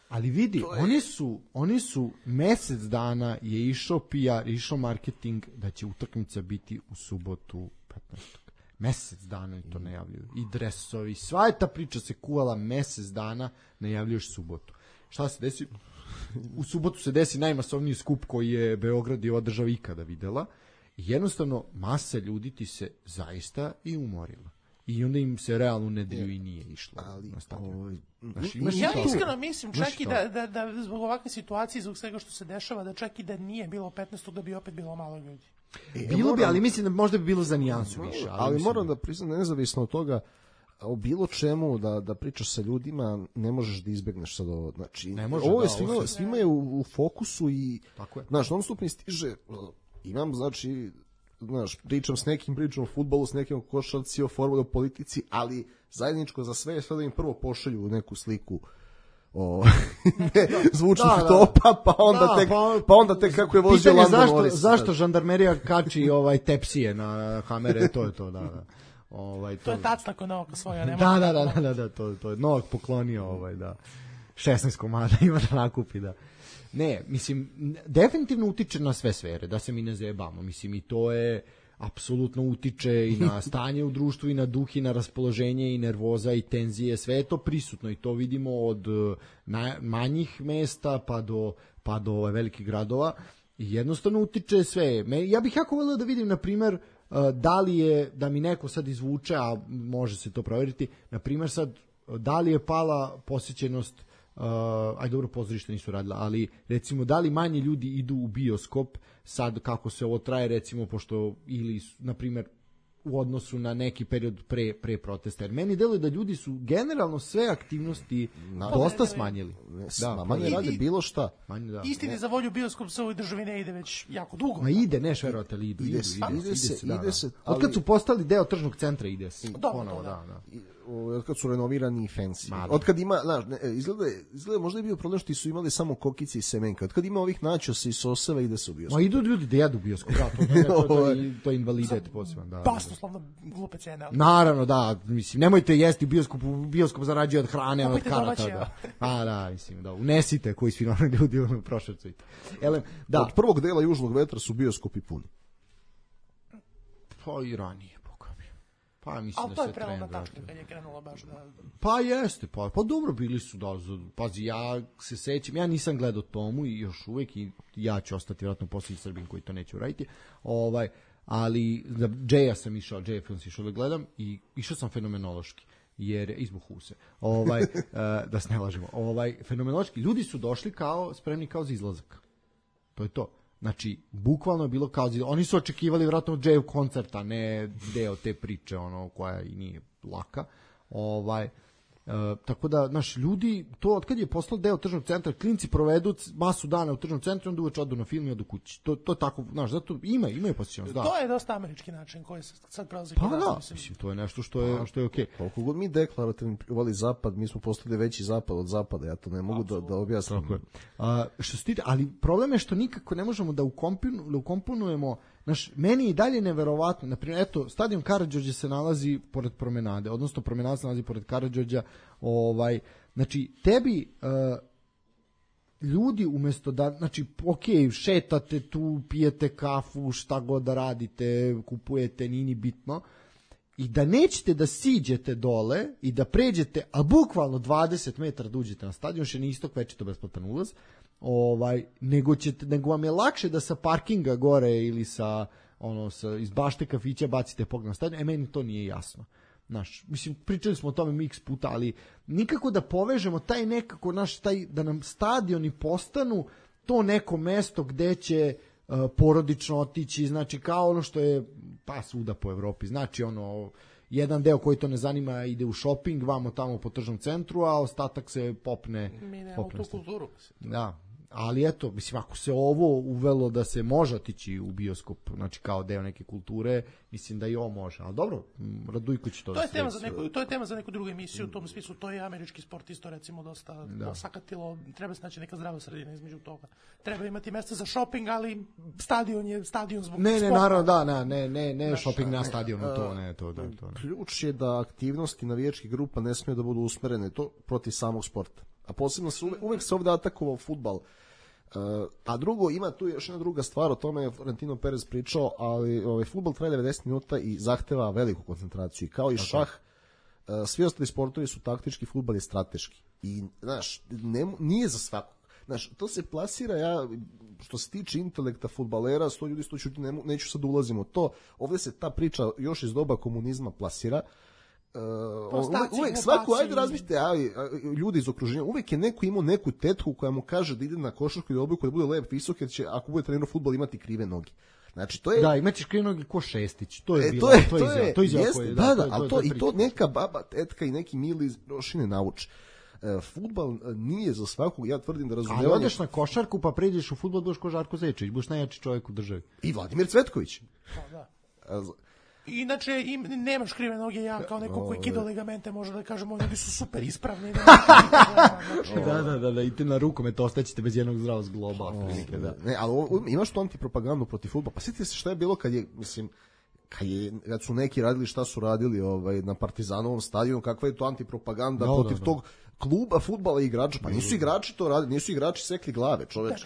Ali vidi, je... oni su oni su mesec dana je išao P R, išao marketing da će utakmica biti u subotu petnaestog Mesec dana i to najavljuju. I dresovi, sva je ta priča se kuvala mesec dana, najavljuješ subotu. Šta se desi? U subotu se desi najmasovniji skup koji je Beograd i ova država ikada videla. I jednostavno masa ljudi ti se zaista i umorila. I onda im se realno u nedelju i nije išlo. Ali, na ovaj, znači, ja iskreno mislim čak i da, da, da zbog ovakve situacije, zbog svega što se dešava, da čak i da nije bilo petnaestog da bi opet bilo malo ljudi. E, bilo moram, bi, ali mislim da možda bi bilo za nijansu više. Ali, ali moram da priznam, nezavisno od toga, o bilo čemu da, da pričaš sa ljudima, ne možeš da izbegneš sad ovo. Znači, ne može, ovo je da, svima, ovo svima je u, u fokusu i, tako je. Znaš, non stop mi stiže, imam, znači, znaš, pričam s nekim, pričam o fudbalu, s nekim o košarci, o formuli, o politici, ali zajedničko za sve je sve da im prvo pošalju neku sliku o ne, zvučnih da, da. topa, pa onda da, tek pa, pa onda tek kako je vozio Lando zašto, Norris. Zašto žandarmerija kači ovaj tepsije na kamere, to je to, da, da. Ovaj to, to je tac tako Novaka svoja, nema. Da, da, da, da, da, to to je Novak poklonio ovaj da šesnaest komada ima da nakupi, da. Ne, mislim definitivno utiče na sve sfere, da se mi ne zajebamo. Mislim i to je apsolutno utiče i na stanje u društvu i na duh i na raspoloženje i nervoza i tenzije, sve je to prisutno i to vidimo od na, manjih mesta pa do pa do ove velikih gradova i jednostavno utiče sve. Me, ja bih jako voleo da vidim na primer da li je, da mi neko sad izvuče, a može se to proveriti, na primer sad, da li je pala posjećenost, uh, aj dobro, pozorište nisu radila, ali recimo, da li manje ljudi idu u bioskop, sad kako se ovo traje, recimo, pošto, ili, na primer, u odnosu na neki period pre, pre protesta. Jer meni deluje da ljudi su generalno sve aktivnosti na, dosta smanjili. Da, manje rade bilo šta. Manje, da. Istini za volju bioskop se u ovoj državi ne ide već jako dugo. Ma ide, ne šverovate, ali idu. Ide, ide, ide, ide se, ide se. Da, ide se da. Od kad su postali deo tržnog centra ide se. Dobro, ponovo, da. da, da. Od kad su renovirani i fancy. Od kad ima, znaš, izgleda, izgleda možda je bio problem što su imali samo kokice i semenka. Od kad ima ovih načosa i soseva ide se u bioskop. Ma idu ljudi da jedu bioskop. Da, to, to, to, to, to je invalidet poseban. Da, basnoslovno glupe cene. Naravno, da, mislim, nemojte jesti u bioskopu, bioskop zarađuje od hrane, od karata, da. A, da, mislim, da, unesite koji svi normalni ljudi u prošvercujte. Elem, da. Od prvog dela Južnog vetra su bioskopi puni. Pa i ranije, boga mi. Pa mislim ali da to se je prelomna trend tačka kad je krenulo baš da... Pa jeste, pa, pa dobro bili su, da, pazi, ja se sećam, ja nisam gledao Tomu i još uvek i ja ću ostati vjerojatno posljednji Srbin koji to neće uraditi, ovaj, ali za Džeja sam išao, Džeja film sam išao da gledam i išao sam fenomenološki, jer izbuh se. Ovaj, uh, da se ne lažemo. Ovaj, fenomenološki, ljudi su došli kao, spremni kao za izlazak. To je to. Znači, bukvalno je bilo kao, oni su očekivali vjerojatno Džeju koncerta, ne deo te priče, ono, koja i nije laka. Ovaj, Uh, tako da, naš ljudi, to od kad je postalo deo tržnog centra, klinci provedu masu dana u tržnom centru, onda uveče odu na film i odu kući. To, to tako, znaš, zato ima, imaju posjećenost, da. To je dosta američki način koji se sad prelazi. Pa da, mislim, to je nešto što je, što je okej. Okay. Koliko god mi deklarativno voli zapad, mi smo postali veći zapad od zapada, ja to ne mogu da, da objasnim. Tako je. A, što se tiče, ali problem je što nikako ne možemo da, ukompinu, da ukomponujemo. Znaš, meni je i dalje neverovatno, naprimjer, eto, stadion Karađorđe se nalazi pored promenade, odnosno promenada se nalazi pored Karađorđa, ovaj, znači, tebi uh, ljudi umjesto da, znači, ok, šetate tu, pijete kafu, šta god da radite, kupujete, nini bitno, i da nećete da siđete dole i da pređete, a bukvalno dvadeset metara da uđete na stadion, še ni istok, već je to besplatan ulaz, ovaj nego ćete nego vam je lakše da sa parkinga gore ili sa ono sa iz bašte kafića bacite pogled na stadion. E meni to nije jasno. Znaš, mislim pričali smo o tome x puta, ali nikako da povežemo taj nekako naš taj da nam stadioni postanu to neko mesto gde će uh, porodično otići, znači kao ono što je pa svuda po Evropi. Znači ono jedan deo koji to ne zanima ide u shopping, vamo tamo po tržnom centru, a ostatak se popne. Mi nemamo tu kulturu. Da, ali eto, mislim, ako se ovo uvelo da se može otići u bioskop, znači kao deo neke kulture, mislim da i ovo može. Ali dobro, Radujko će to... To je, tema za neku, to je tema za neku drugu emisiju, u tom smislu, to je američki sport isto, recimo, dosta da. sakatilo, treba se naći neka zdrava sredina između toga. Treba imati mesta za shopping, ali stadion je stadion zbog ne, ne, sporta. Naravno, da, ne, ne, ne, ne shopping na stadionu, to ne, to da, to ne. Ključ je da aktivnosti navijačkih grupa ne smije da budu usmerene to protiv samog sporta. A posebno se uvek, uvek se ovde atakovao fudbal. Uh, a drugo, ima tu još jedna druga stvar, o tome je Florentino Perez pričao, ali ovaj, fudbal traje devedeset minuta i zahteva veliku koncentraciju. I kao i šah, uh, svi ostali sportovi su taktički, fudbal je strateški. I, znaš, ne, nije za svakog. Znaš, to se plasira, ja, što se tiče intelekta fudbalera, sto ljudi sto čuti, ne, neću sad ulazim u to, ovdje se ta priča još iz doba komunizma plasira. Uh, uvek, uvek svako, ajde razmišljate, ali ljudi iz okruženja, uvek je neko imao neku tetku koja mu kaže da ide na košarku i da obuku da bude lep, visok, jer će, ako bude trenirao fudbal, imati krive noge. Znači, to je... Da, imaćeš krive noge ko Šestić, to je e, bilo, to je, to je, to je, to je izjava jeste, koje, da, da, da, to, ali to, to, to i to neka baba, tetka i neki mili iz Rošine nauči. Uh, fudbal nije za svakog, ja tvrdim da razumijevanje... Ali odeš na košarku pa pređeš u fudbal, budeš ko Žarko Zečević, budeš najjači čovjek u državi. I Vladimir Cvetković. Pa da. Inače, im, nemaš krive noge, ja kao neko koji kida ligamente, može da kažemo, ljudi su super ispravni. Da, da, da, da, idete na rukomet, ostaćete bez jednog zdravog zgloba. Oh, da. Ne, ali ovo, imaš tu antipropagandu protiv fudbala. Pa sjetite se šta je bilo kad je, mislim, kad, je, kad su neki radili šta su radili ovaj, na Partizanovom stadionu, kakva je to antipropaganda no, protiv da, da. tog kluba fudbala i igrača. Pa nisu igrači to radili, nisu igrači sekli glave, čoveč.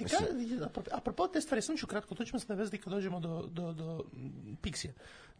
Da, apropo te stvari, sam ću kratko, to ćemo se navezati kad dođemo do, do, do Pixija.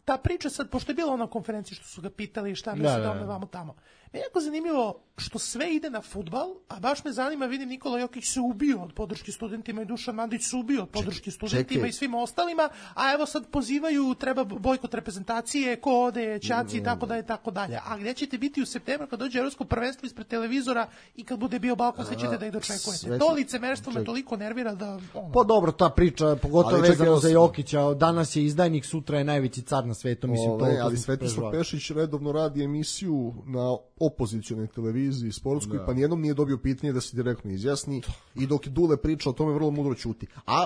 Ta priča sad, pošto je bila ona konferencija što su ga pitali šta misle da ome vamo tamo. Meni je jako zanimljivo što sve ide na fudbal, a baš me zanima, vidim Nikola Jokić se ubio od podrške studentima i Dušan Mandić se ubio od podrške studentima čekaj. I svima ostalima, a evo sad pozivaju, treba bojkot reprezentacije, ko ode, ćaci i tako dalje, tako dalje. A gdje ćete biti u septembru kad dođe evropsko prvenstvo ispred televizora i kad bude bio Balkan, sve ćete da ih dočekujete. Sve... To licemerstvo me toliko nervira da... Ono... Pa dobro, ta priča, pogotovo vezano za Jokića, danas je izdajnik, sutra je najveći car na svetu, mislim o, to... Ne, ali Svetislav Pešić redovno radi emisiju na opozicionoj televiziji sportskoj, da. Pa nijednom nije dobio pitanje da se direktno izjasni i dok Dule priča o tome vrlo mudro ćuti. A,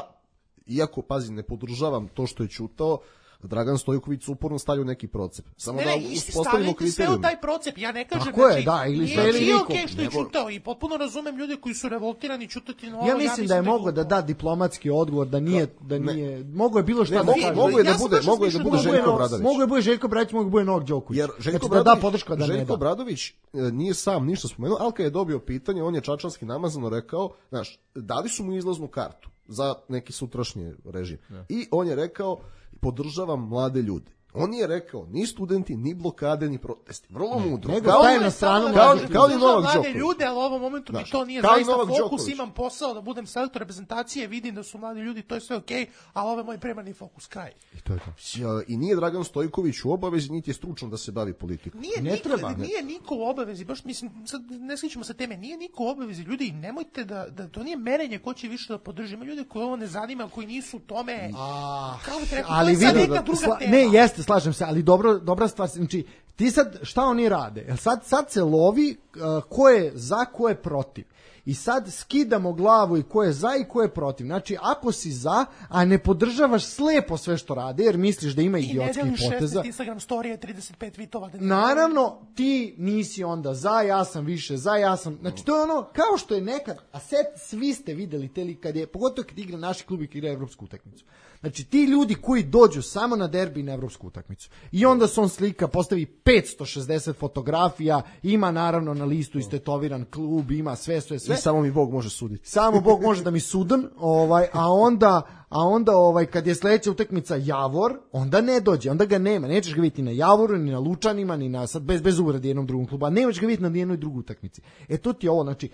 iako, pazi, ne podržavam to što je ćutao, Dragan Stojković uporno stavlja neki procep. Samo ne, da uspostavimo kriterijum. Sve u taj procep, ja ne kažem... Tako znači, je, da, ili sve ili nikom. Nije što je čutao i potpuno razumem ljude koji su revoltirani čutati na ovo. Ja mislim, ja mislim da je mogao da da diplomatski odgovor, da nije... Da nije mogo je bilo šta ne, da kaže. Mogo je da bude, mogo je da bude Željko Obradović. Mogo je bude Željko Obradović, mogo je bude Novak Đoković. Jer Željko znači, da da podrška da Željko Obradović nije sam ništa spomenuo, ali kad je dobio pitanje, on je čačanski namazano rekao, znaš, dali su mu izlaznu kartu za neki sutrašnji režim. I on je rekao, podržavam mlade ljude. On je rekao, ni studenti, ni blokade, ni protesti. Vrlo mudro. Nego taj na stranu kao, kao ni Novak Đoković. Ljude, ali u ovom momentu mi to nije zaista fokus. Đoković. Imam posao da budem selektor reprezentacije, vidim da su mladi ljudi, to je sve okej, okay, ali ovo je moj primarni fokus, kraj. I to je to. I nije Dragan Stojković u obavezi, niti je stručan da se bavi politikom. Nije, ne niko, treba. Nije niko u obavezi, baš mislim, sad ne sličimo se teme, nije niko u obavezi. Ljudi, nemojte da, da to nije merenje ko će više da podrži. Ima ljudi koji ovo ne zanima, koji nisu u tome. A, kao bi rekao, ali to je sad vidi, neka druga sla, tema. Ne, jeste, slažem se, ali dobro, dobra stvar, znači ti sad, šta oni rade? Sad, sad se lovi uh, ko je za, ko je protiv. I sad skidamo glavu i ko je za i ko je protiv. Znači, ako si za, a ne podržavaš slepo sve što rade, jer misliš da ima idiotskih poteza. I ne deliš šesnaest Instagram storije, trideset pet tweetova. Da naravno, ti nisi onda za, ja sam više za, ja sam... Znači, to je ono, kao što je nekad, a set, svi ste videli te li, kad je, pogotovo kad igra naši klub i kad igra evropsku utakmicu. Znači, ti ljudi koji dođu samo na derbi i na evropsku utakmicu. I onda se on slika, postavi petsto šezdeset fotografija, ima naravno na listu istetoviran klub, ima sve, sve, sve. I samo mi Bog može suditi. Samo Bog može da mi sudan, ovaj, a onda, a onda ovaj, kad je sledeća utakmica Javor, onda ne dođe, onda ga nema. Nećeš ga vidjeti na Javoru, ni na Lučanima, ni na, sad bez, bez uvrede jednom drugom klubu, a nećeš ga vidjeti na jednoj drugoj utakmici. E to ti je ovo, znači,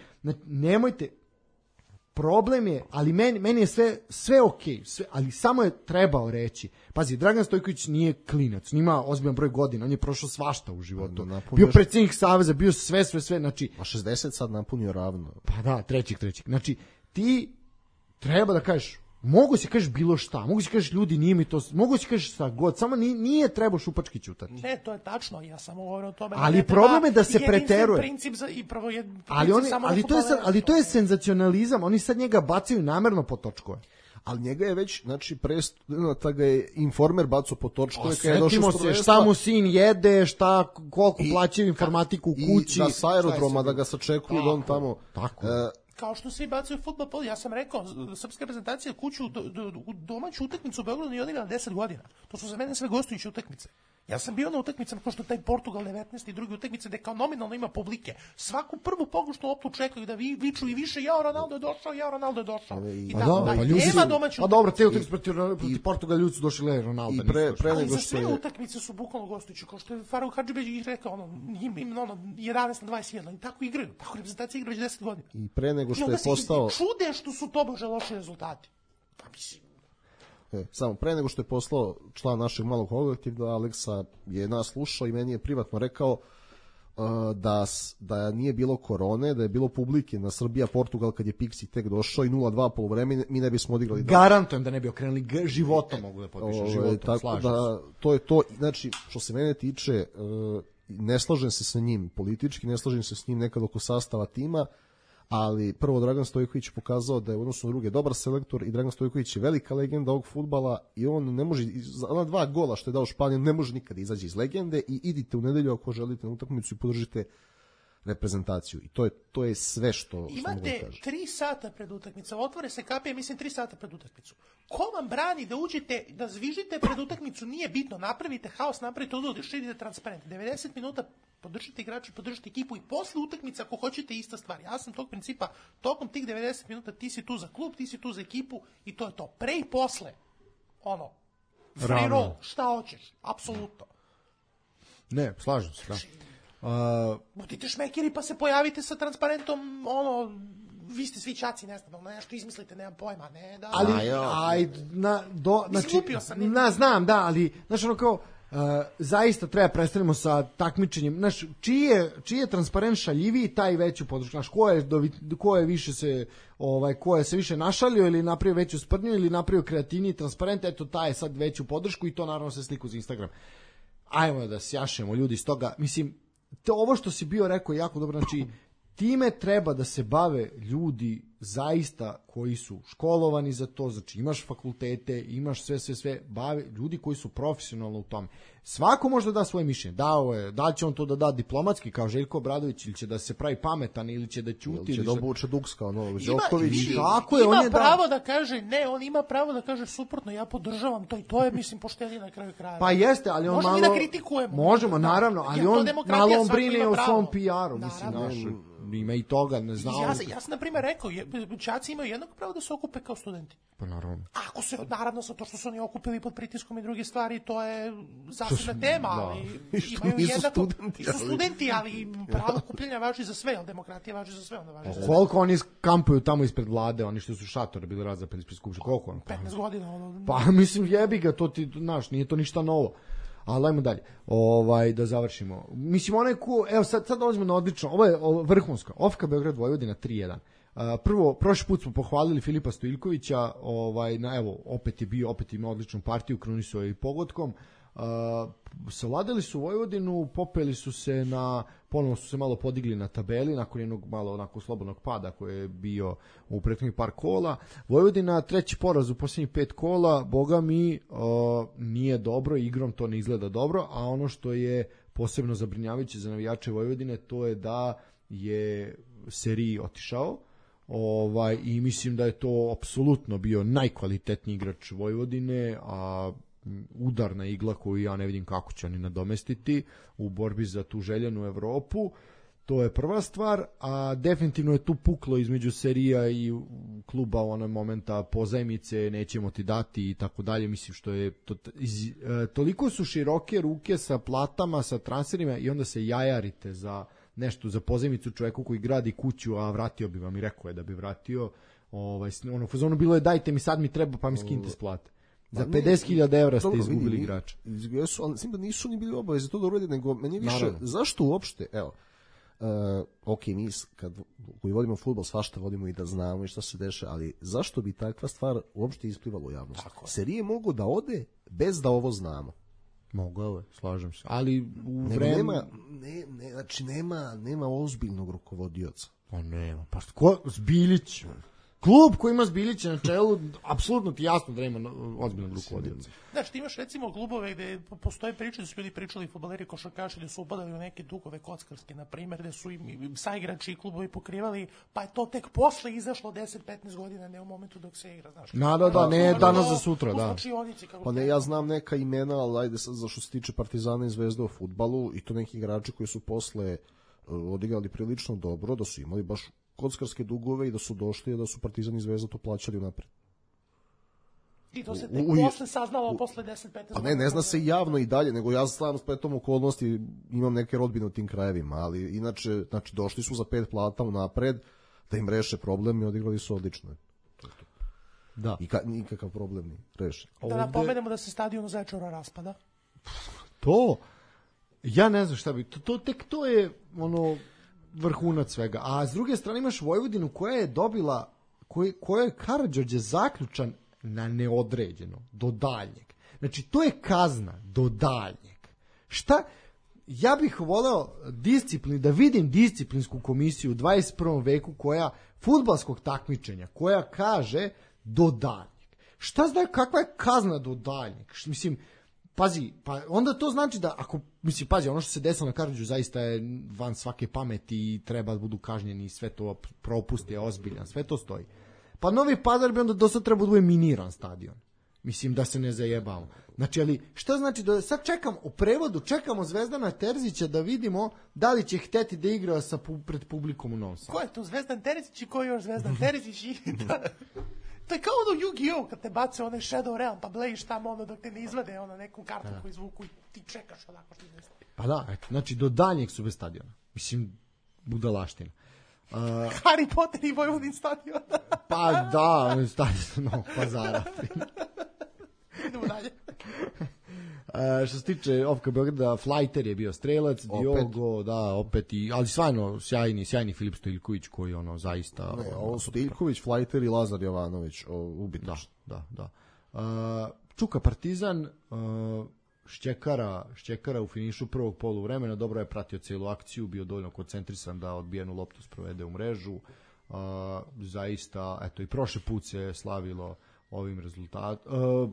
nemojte, problem je, ali meni, meni je sve, sve okej, sve, ali samo je trebao reći. Pazi, Dragan Stojković nije klinac, nima ozbiljan broj godina, on je prošao svašta u životu. Bio predsjednik saveza, bio sve, sve, sve, znači... A šezdeset sad napunio ravno. Pa da, trećih, trećih. Znači, ti treba da kažeš, mogu si kažeš bilo šta, mogu si kažeš ljudi nije mi to, mogu si kažeš šta god, samo nije, nije treba šupački ćutati. Ne, to je tačno, ja samo govorim o tome. Ali ne problem je da se preteruje. Princip za, i prvo je, ali, oni, ali, to je sad, ali to je senzacionalizam, oni sad njega bacaju namerno po točkove. Ali njega je već, znači, presta ga je Informer bacao po točkove. Setimo se šta mu sin jede, šta, koliko plaćaju informatiku u kući. I da sa aerodroma da ga sačekuju da on tamo... Tako. E, kao što svi bacaju fudbal, ja sam rekao, srpska reprezentacija kuću do, do, u domaću utakmicu u Beogradu nije odigrala deset godina. To su za mene sve gostujuće utakmice. Ja sam bio na utakmicama kao što taj Portugal devetnaest i druge utakmice gde kao nominalno ima publike. Svaku prvu pogušnu loptu čekaju da vi viču i više jao Ronaldo je došao, jao Ronaldo je došao. I pa tako, da, pa ljudi nema domaću. Pa dobro, te utakmice protiv, protiv Portugala ljudi su došli le Ronaldo. I pre, pre nego što je utakmice su bukvalno gostujuće, kao što je Faruk Hadžibeđić rekao, ono im, im ono jedanaest na dvadeset jedan, i tako igraju. Tako reprezentacija igra već deset godina. I pre nego što je postao čude što su tobože loši rezultati. Pa mislim E, samo pre nego što je poslao član našeg malog kolektiva, Aleksa je nas slušao i meni je privatno rekao uh, da, da nije bilo korone, da je bilo publike na Srbija-Portugal kad je Pixi tek došao i nula dva poluvreme, mi ne bismo odigrali. Garantujem da ne bi okrenuli životom, mogu da potpišem, životom, tako slažem da, se. To je to, znači, što se mene tiče, uh, ne slažem se sa njim politički, ne slažem se s njim nekad oko sastava tima, ali prvo Dragan Stojković pokazao da je u odnosu na druge dobar selektor i Dragan Stojković je velika legenda ovog fudbala i on ne može, ona dva gola što je dao Španiju ne može nikada izaći iz legende i idite u nedelju ako želite na utakmicu i podržite reprezentaciju i to je, to je sve što, što mogu da kažem. Imate tri sata pred utakmicom, otvore se kapije, mislim tri sata pred utakmicu. Ko vam brani da uđete, da zvižite pred utakmicu, nije bitno, napravite haos, napravite odlud, širite transparent. devedeset minuta podržite igrače, podržite ekipu i posle utakmice ako hoćete ista stvar. Ja sam tog principa, tokom tih devedeset minuta ti si tu za klub, ti si tu za ekipu i to je to. Pre i posle, ono, free roll, šta hoćeš, apsolutno. Ne, slažem se, da. Uh, budite šmekeri pa se pojavite sa transparentom, ono, vi ste svi čaci, ne znam, nešto izmislite, nemam pojma, ne, da... Ali, aj, na, do, znači, na, znam, da, ali, znaš, ono kao, uh, zaista treba prestanemo sa takmičenjem, znaš, čiji je, čiji je transparent šaljiviji, taj veću podršku, znaš, ko je, ko je više se, ovaj, ko je se više našalio ili napravio veću sprdnju ili napravio kreativniji transparent, eto, taj je sad veću podršku i to naravno se sliku za Instagram. Ajmo da sjašemo ljudi iz toga, mislim, to ovo što si bio rekao je jako dobro, znači time treba da se bave ljudi zaista koji su školovani za to, znači imaš fakultete, imaš sve, sve, sve, bave, ljudi koji su profesionalno u tome. Svako može da da svoje mišljenje, dao je, da li će on to da da diplomatski kao Željko Obradović ili će da se pravi pametan ili će da ćuti. Ili će da obuče Duks kao Novo Đoković. Tako je, ima on je pravo da... da kaže, ne, on ima pravo da kaže suprotno, ja podržavam to i to je, mislim, poštenije na kraju kraja. Pa jeste, ali on možemo malo... da kritikujemo. Možemo, naravno, ali on malo on brine o svom P R-u, mislim, naš, ima i toga, ne znam. Ja, ja sam, na primjer, rekao, đaci imaju jednako pravo da se okupe kao studenti. Pa naravno. Ako se, naravno, sa to što su oni okupili pod pritiskom i druge stvari, to je zasebna tema, ali imaju jednako, studenti, su studenti, ali pravo okupljanja važi za sve, ali demokratija važi za sve, onda važi za sve. Koliko oni kampuju tamo ispred vlade, oni što su šatore bili razapeli ispred skupštine, koliko on? petnaest godina. Ono... Pa mislim, jebi ga, to ti, znaš, nije to ništa novo. Ali ajmo dalje, ovaj, da završimo. Mislim, onaj ko, evo sad, sad dolazimo na odlično, ovo je ovo, vrhunsko, O F K Beograd Vojvodina tri jedan. Uh, prvo, prošli put smo pohvalili Filipa Stojilkovića, ovaj, na, evo, opet je bio, opet ima odličnu partiju, krunisuo je i pogodkom. Uh, savladali su Vojvodinu, popeli su se na, ponovno su se malo podigli na tabeli nakon jednog malo onako slobodnog pada koji je bio u prethodnih par kola. Vojvodina treći poraz u posljednjih pet kola, boga mi uh, nije dobro, igrom to ne izgleda dobro, a ono što je posebno zabrinjavajuće za navijače Vojvodine to je da je Seriji otišao. Ovaj, i mislim da je to apsolutno bio najkvalitetniji igrač Vojvodine, a udarna igla koju ja ne vidim kako će oni nadomestiti u borbi za tu željenu Evropu. To je prva stvar, a definitivno je tu puklo između Serija i kluba u onom momenta pozajmice, nećemo ti dati i tako dalje. Mislim što je to, iz, e, toliko su široke ruke sa platama, sa transferima i onda se jajarite za nešto za pozajmicu čoveku koji gradi kuću, a vratio bi vam i rekao je da bi vratio. Ovaj, ono, fazonu bilo je dajte mi sad mi treba pa mi skinite s plate. Za pedeset hiljada evra ste izgubili igrača. Jesu, ali mislim da nisu ni bili obavezi to da urede, nego meni više, naravno. Zašto uopšte, evo, uh, ok, mi kad koji vodimo fudbal svašta vodimo i da znamo i šta se deša, ali zašto bi takva stvar uopšte isplivala u javnost? Serije mogu da ode bez da ovo znamo. Mogao je, slažem se. Ali u nema, vreme... Nema, ne, ne, znači nema, nema ozbiljnog rukovodioca. Pa nema, pa ko? Zbilić. Klub koji ima Zbilića na čelu, apsolutno ti jasno da nema ozbiljnog rukovodioca. Znači, ti imaš recimo klubove gde postoje priče da su ljudi pričali fudbaleri košarkaši da su upadali u neke dugove kockarske, na primjer, gde su im saigrači i klubovi pokrivali, pa je to tek posle izašlo deset do petnaest godina, ne u momentu dok se igra, znaš. Da, da, da, ne danas za sutra, da. Pa ne, ja znam neka imena, ali ajde sad za što se tiče Partizana i Zvezde u fudbalu, i to neki igrači koji su posle odigrali prilično dobro, da su imali baš kockarske dugove i da su došli i da su Partizan i Zvezda to plaćali unapred. I to se tek u, posle saznalo u, posle deset do petnaest. Pa ne, ne zna se javno i dalje, nego ja sam spletom okolnosti imam neke rodbine u tim krajevima, ali inače, znači, došli su za pet plata unapred da im reše problem i odigrali su odlično. To, to. Da. I ka, nikakav problem ni reše. Da napomenemo da se stadion u Zaječaru raspada. To, ja ne znam šta bi, to, to tek to je ono vrhunac svega. A s druge strane imaš Vojvodinu koja je dobila, koj, koja je Karađorđe zaključan na neodređeno, do daljnjeg. Znači, to je kazna do daljnjeg. Šta? Ja bih voleo disciplin, da vidim disciplinsku komisiju u dvadeset prvom veku koja, fudbalskog takmičenja, koja kaže do daljnjeg. Šta znači, kakva je kazna do daljnjeg? Mislim, pazi, pa onda to znači da ako, mislim, pazi, ono što se desilo na Karađorđu zaista je van svake pameti i treba da budu kažnjeni i sve to propusti je ozbiljan, sve to stoji. Pa Novi Pazar bi onda dosta treba da bude miniran stadion. Mislim da se ne zajebamo. Znači, ali šta znači da sad čekam u prevodu, čekamo Zvezdana Terzića da vidimo da li će hteti da igra sa pred publikom u Novom Sadu. Ko je to Zvezdan Terzić i ko je još Zvezdan Terzić? I da, to je kao ono Yu-Gi-Oh! Kad te bace onaj Shadow Realm pa blejiš tamo ono dok te ne izvade ono neku kartu koju izvuku i ti čekaš onako što izvesti. Pa da, eto, znači do daljnjeg su bez stadiona. Mislim, budalaština. Uh, Harry Potter i Vojvodin stadion. Pa da, stadion Novog Pazara. Idemo dalje. Uh, što se tiče Ofka Beograda, Flajter je bio strelac, opet. Diogo, da, opet i, ali stvarno sjajni, sjajni Filip Stojiljković koji ono zaista... Ne, ovo Stojiljković, Flajter i Lazar Jovanović, ubitno. Da, da, da. Uh, Čuka Partizan, uh, Šćekara, Šćekara u finišu prvog poluvremena, dobro je pratio celu akciju, bio dovoljno koncentrisan da odbijenu loptu sprovede u mrežu. Uh, zaista, eto, i prošle put se slavilo ovim rezultatom. Uh,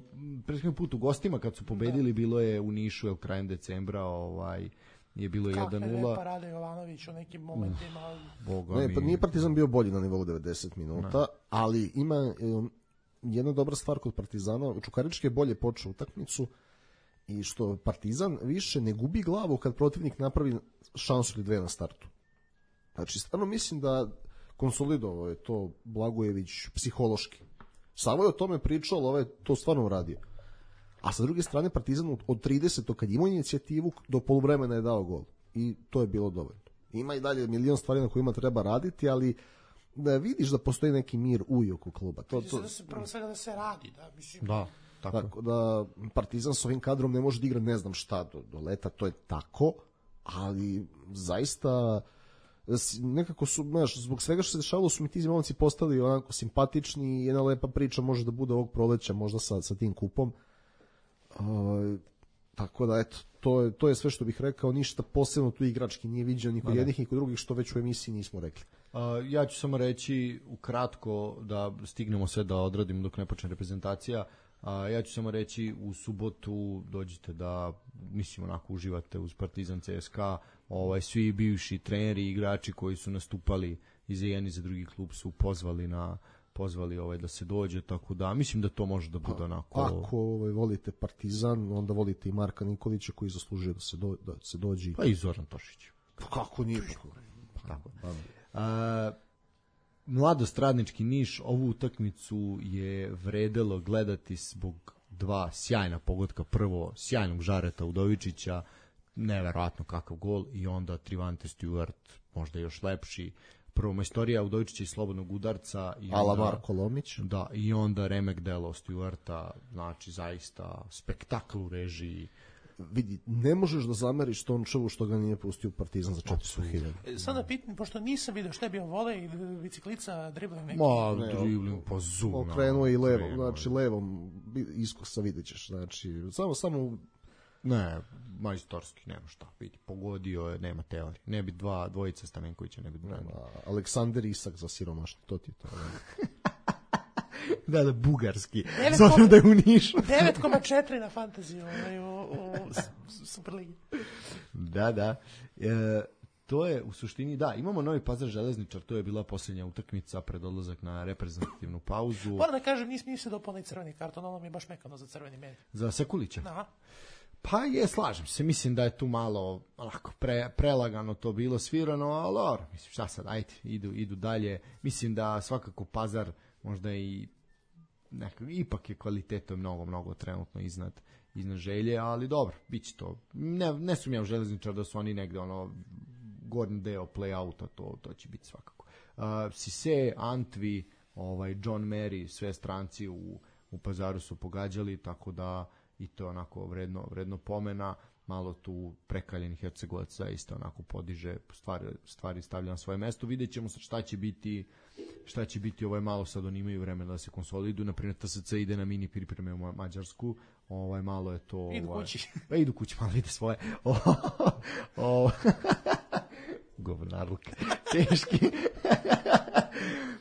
Prethodni put u gostima kad su pobedili, da. Bilo je u Nišu, je krajem decembra, ovaj, je bilo jedan nula. Kakve Rade Jovanović u nekim momentima. Uh, ne, pa nije Partizan bio bolji na nivou devedeset minuta, ne. Ali ima um, jedna dobra stvar kod Partizana. Čukarički je bolje počeo utakmicu i što Partizan više ne gubi glavu kad protivnik napravi šansu ili dve na startu. Znači, stvarno mislim da konsolidovao je to Blagojević psihološki. Samo je o tome pričao, ali ovaj to stvarno uradio. A sa druge strane, Partizan od tridesetog kad imao inicijativu, do poluvremena je dao gol. I to je bilo dovoljno. Ima i dalje milion stvari na kojima treba raditi, ali da vidiš da postoji neki mir u oko kluba. To, to... Da se prvo svega da se radi. Da, mislim. Da. Tako. Tako da Partizan s ovim kadrom ne može da igra ne znam šta do, do leta, to je tako, ali zaista nekako su, znaš, zbog svega što se dešavalo su mi ti momci postali onako simpatični i jedna lepa priča može da bude ovog proleća možda sa, sa tim kupom. Uh, tako da, eto, to je, to je sve što bih rekao, ništa posebno tu igrački nije viđeno ni kod jednih ni kod drugih, što već u emisiji nismo rekli. Uh, ja ću samo reći ukratko da stignemo sve da odradimo dok ne počne reprezentacija. Uh, ja ću samo reći u subotu dođite da, mislim, onako uživate uz Partizan C S K A, ovaj, svi bivši treneri i igrači koji su nastupali i za jedan i za drugi klub su pozvali na pozvali ovaj da se dođe, tako da mislim da to može da bude onako. Ako ovaj, volite Partizan, onda volite i Marka Nikolića koji zaslužuje da se do, da se dođe. Pa i Zoran Tošić. Pa kako nije? Pa, tako. A, Mladost Radnički Niš, ovu utakmicu je vredelo gledati zbog dva sjajna pogotka. Prvo, sjajnog Žareta Udovičića, neverovatno kakav gol, i onda Trivante Stewart, možda još lepši. Prvo majstorija Udovičića iz slobodnog udarca. I Ala Marko Lomić. Da, i onda remek delo Stewarta, znači zaista spektakl u režiji. Vidi, ne možeš da zameriš Tončevu što ga nije pustio Partizan za četiristo hiljada. Sad da pitam, pošto nisam vidio šta je bio volej, biciklica, dribling neki. Ma, dribling, pa zoom. Okrenuo i levom, znači levom iskosa vidjet ćeš, znači samo, samo... Ne, majstorski, nema šta, vidi, pogodio je, nema teorije. Ne bi dva, dvojica Stamenkovića, ne bi branio. Aleksander Isak za siromašno, to ti je to. Da, da, bugarski. S obzirom da je u Nišu. devet zarez četiri na fantaziju u, u Superligi. Da, da. E, to je u suštini, da, imamo Novi Pazar Železničar, to je bila posljednja utakmica pred odlazak na reprezentativnu pauzu. Moram da kažem, nis mi se dopao ni crveni karton, ono mi je baš mekano za crveni meni. Za Sekulića? Aha. Pa je, slažem se, mislim da je tu malo onako pre, prelagano to bilo svirano, ali or, mislim, šta sad, ajde, idu, idu dalje. Mislim da svakako Pazar možda i nekak, ipak je kvaliteto mnogo, mnogo trenutno iznad, iznad Želje, ali dobro, bit će to. Ne, ne sum ja u Železničar da su oni negde ono gornji deo play-outa, to, to će biti svakako. Uh, Sise, Antvi, ovaj, John Mary, sve stranci u, u Pazaru su pogađali, tako da i to je onako vredno, vredno pomena. Malo tu prekaljenih Hercegovaca isto onako podiže stvari, stvari stavlja na svoje mesto. Vidjet ćemo šta će biti šta će biti, ovaj malo sad oni imaju vremena da se konsoliduju, naprimjer T S C ide na mini pripreme u Mađarsku, ovaj malo je to idu ovaj, kući pa idu kući, malo vide svoje o, govnarluk teški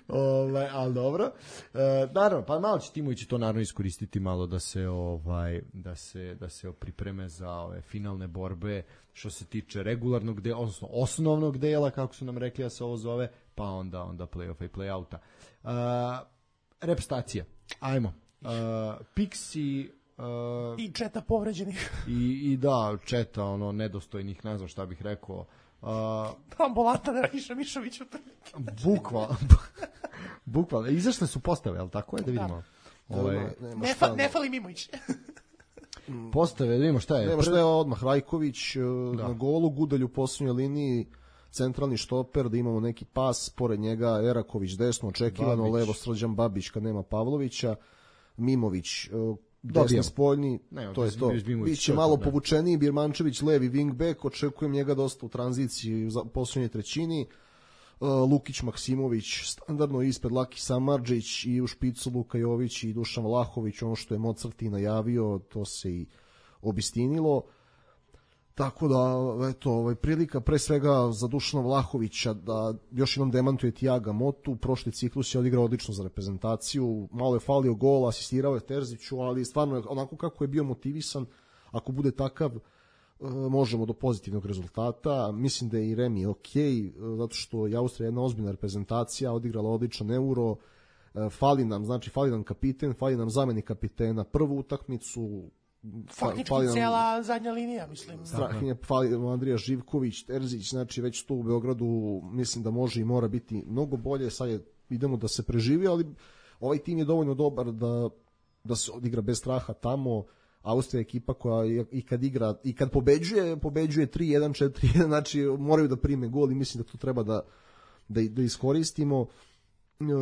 ovaj, ali dobro. E, naravno, pa malo će Timović to naravno iskoristiti malo da se ovaj da se da se pripreme za ove finalne borbe što se tiče regularnog dela, odnosno osnovnog dela, kako su nam rekli da se ovo zove, pa onda onda play-offa i play-outa. E, repstacija. Ajmo. E, Pixi uh, i četa povređenih. I, i da, četa ono nedostojnih, ne znam šta bih rekao. Uh, Ambulanta na Rahiša Mišoviću. Bukvalno. Bukvalno. Izašle su postave, ali tako je da vidimo. Ovaj, ne, fa, ne fali Mimović. Postave, da vidimo šta je. Nema šta je odmah. Rajković da. Na golu, Gudalj u posljednjoj liniji, centralni štoper, da imamo neki pas, pored njega Eraković desno, očekivano, Babić. Levo Srđan Babić kad nema Pavlovića, Mimović desni spoljni, ne, to je to. Biće malo da. Povučeniji, Birmančević levi wingback, očekujem njega dosta u tranziciji u posljednjoj trećini. Lukić Maksimović standardno ispred, Laki Samardžić i u špicu Luka Jović i Dušan Vlahović, ono što je Mozart i najavio, to se i obistinilo. Tako da, eto, ovaj, prilika pre svega za Dušana Vlahovića da još jednom demantuje Tiaga Motu. Prošli ciklus je odigrao odlično za reprezentaciju, malo je falio gol, asistirao je Terziću, ali stvarno onako kako je bio motivisan, ako bude takav, možemo do pozitivnog rezultata. Mislim da je i Remi ok, zato što je Austrija jedna ozbiljna reprezentacija, odigrala odličan Euro, fali nam, znači fali nam kapiten, fali nam zameni kapitena, prvu utakmicu, faktički nam, cijela zadnja linija, mislim. Strahinja, fali nam Andrija Živković, Terzić, znači već tu u Beogradu mislim da može i mora biti mnogo bolje, sad je, idemo da se preživi, ali ovaj tim je dovoljno dobar da, da se odigra bez straha tamo. Austrija je ekipa koja i kad igra i kad pobeđuje, pobeđuje tri jedan četiri jedan, znači moraju da prime gol i mislim da to treba da, da, da iskoristimo.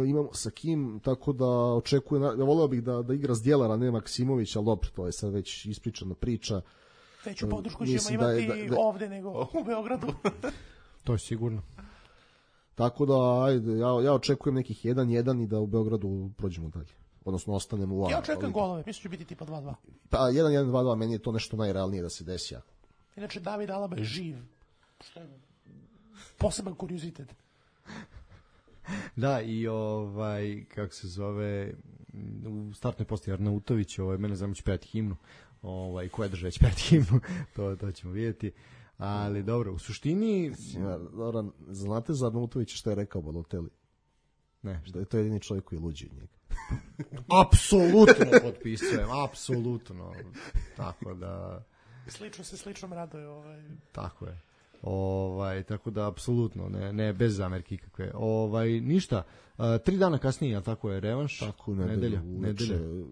Imamo sa kim, tako da očekujem, ja voleo bih da, da igra Zdjelara, ne Maksimović, ali dobro, to je sad već ispričana priča. Veću podršku ćemo imati da, da, da, ovde nego u Beogradu. To je sigurno. Tako da, ajde, ja, ja očekujem nekih jedan jedan i da u Beogradu prođemo dalje. odnosno ostanemo u A. Ja očekujem golove, mislim će biti tipa dva dva. Pa jedan jedan dva dva, meni je to nešto najrealnije da se desi. Inače, David Alaba je živ. Što je poseban kuriozitet. Da, i ovaj, kako se zove, u startnoj postaji Arnautović, ovaj, mene znam će pevati himnu, ovaj, ko je držao će pevati himnu, to, to ćemo vidjeti. Ali dobro, u suštini... Dobro, znate za Arnautovića što je rekao Balotelli? Ne, što je to jedini čovjek koji je luđi od njega. Apsolutno potpisujem, apsolutno. Tako da... Slično se sličnom raduje. Ovaj. Tako je. Ovaj, tako da apsolutno ne, ne bez zamerki kakve. Ovaj, ništa, uh, tri dana kasnije, a tako je revanš. Tako, nedelja. Nedelja, nedelja.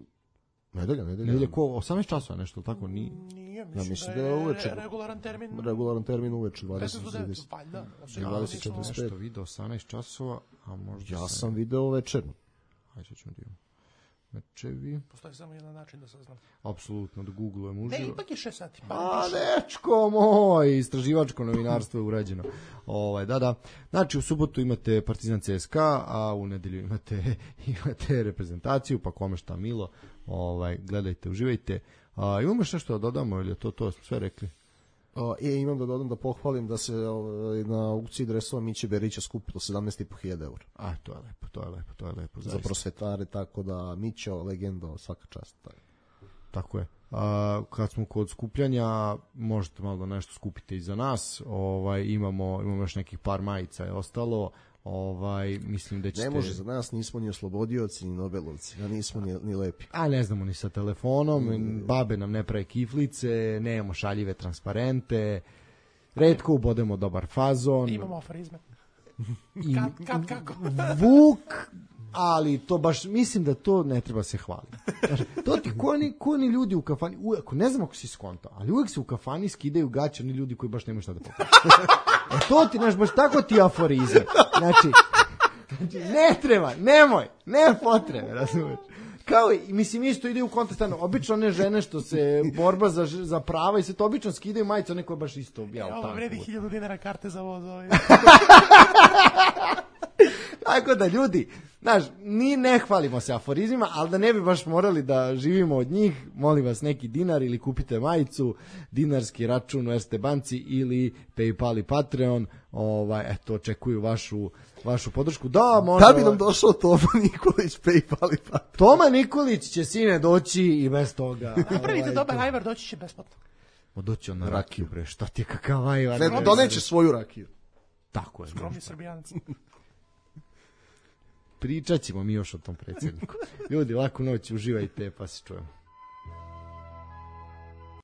Nedelja, nedelja ko, osamnaest časova nešto, tako? Ni... Nije, mislim, ja mislim da je, da je uveče. Regularan termin. Regularan termin uveče, dvadeset devet, valjda. dvadeset četrdeset pet. Nešto video osamnaest časova, a možda... Ja sam video večerno. Hajde ćemo da imamo. Mečevi. Postoji samo jedan način da saznam. Apsolutno, da googlujem uživo. Ne, ipak je šest sati. Pa a, dečko moj, istraživačko novinarstvo je urađeno. Ovaj, da, da. Znači, u subotu imate Partizan C S K A, a u nedelju imate, imate reprezentaciju, pa kome šta milo. Ovaj, gledajte, uživajte. A, imamo još nešto da dodamo, ili je to, to smo sve rekli? Uh, e, imam da dodam da pohvalim da se uh, na aukciji dresova Miće Berića skupilo sedamnaest i po hiljada eura. A, to je lepo, to je lepo, to je lepo. Zaista. Za prosvetare, tako da Mićo, legenda, svaka čast. Tako, tako je. A, kad smo kod skupljanja, možete malo da nešto skupite i za nas. Ovaj, imamo, imamo još nekih par majica je ostalo. Ovaj, mislim da ćete... Ne može za nas, nismo ni oslobodioci, ni nobelovci, a nismo ni, ni lepi. A ne znamo ni sa telefonom, mm. babe nam ne prave kiflice, nemamo šaljive transparente, retko ubodemo dobar fazon. Imamo aforizme. I, kad, kad, kako? Vuk, ali to baš, mislim da to ne treba se hvaliti. Znači, to ti ko ni, ko ni ljudi u kafani, uvijek, ne znam ako si skontao, ali uvijek se u kafani skidaju gaće oni ljudi koji baš nemaju šta da pokažu. E to ti, znaš, baš tako ti aforizam. Znači, znači, ne treba, nemoj, ne potrebe, razumiješ. Kao, mislim, isto ide u kontest, obično one žene što se borba za, za prava i sve to obično skidaju majice, one koje baš isto objavljaju. Ja, ovo vredi hiljadu dinara karte za voz. Ovaj. Tako da, ljudi, znaš, ni ne hvalimo se aforizmima, ali da ne bi baš morali da živimo od njih, molim vas neki dinar ili kupite majicu, dinarski račun u Erste banci ili PayPal i Patreon, ovaj, eto, očekuju vašu, vašu podršku. Da, možda... Da bi nam došao Toma Nikolić, PayPal i Patreon. Toma Nikolić će, sine, doći i bez toga. Napravite ovaj, dobar ajvar, doći će besplatno. O, doći on na rakiju, bre, šta ti je kakav ajvar? Ne, doneće svoju rakiju. Tako je. Skromni Srbijanac. Pričat ćemo mi još o tom predsjedniku. Ljudi, laku noć, uživajte, pa se čujemo.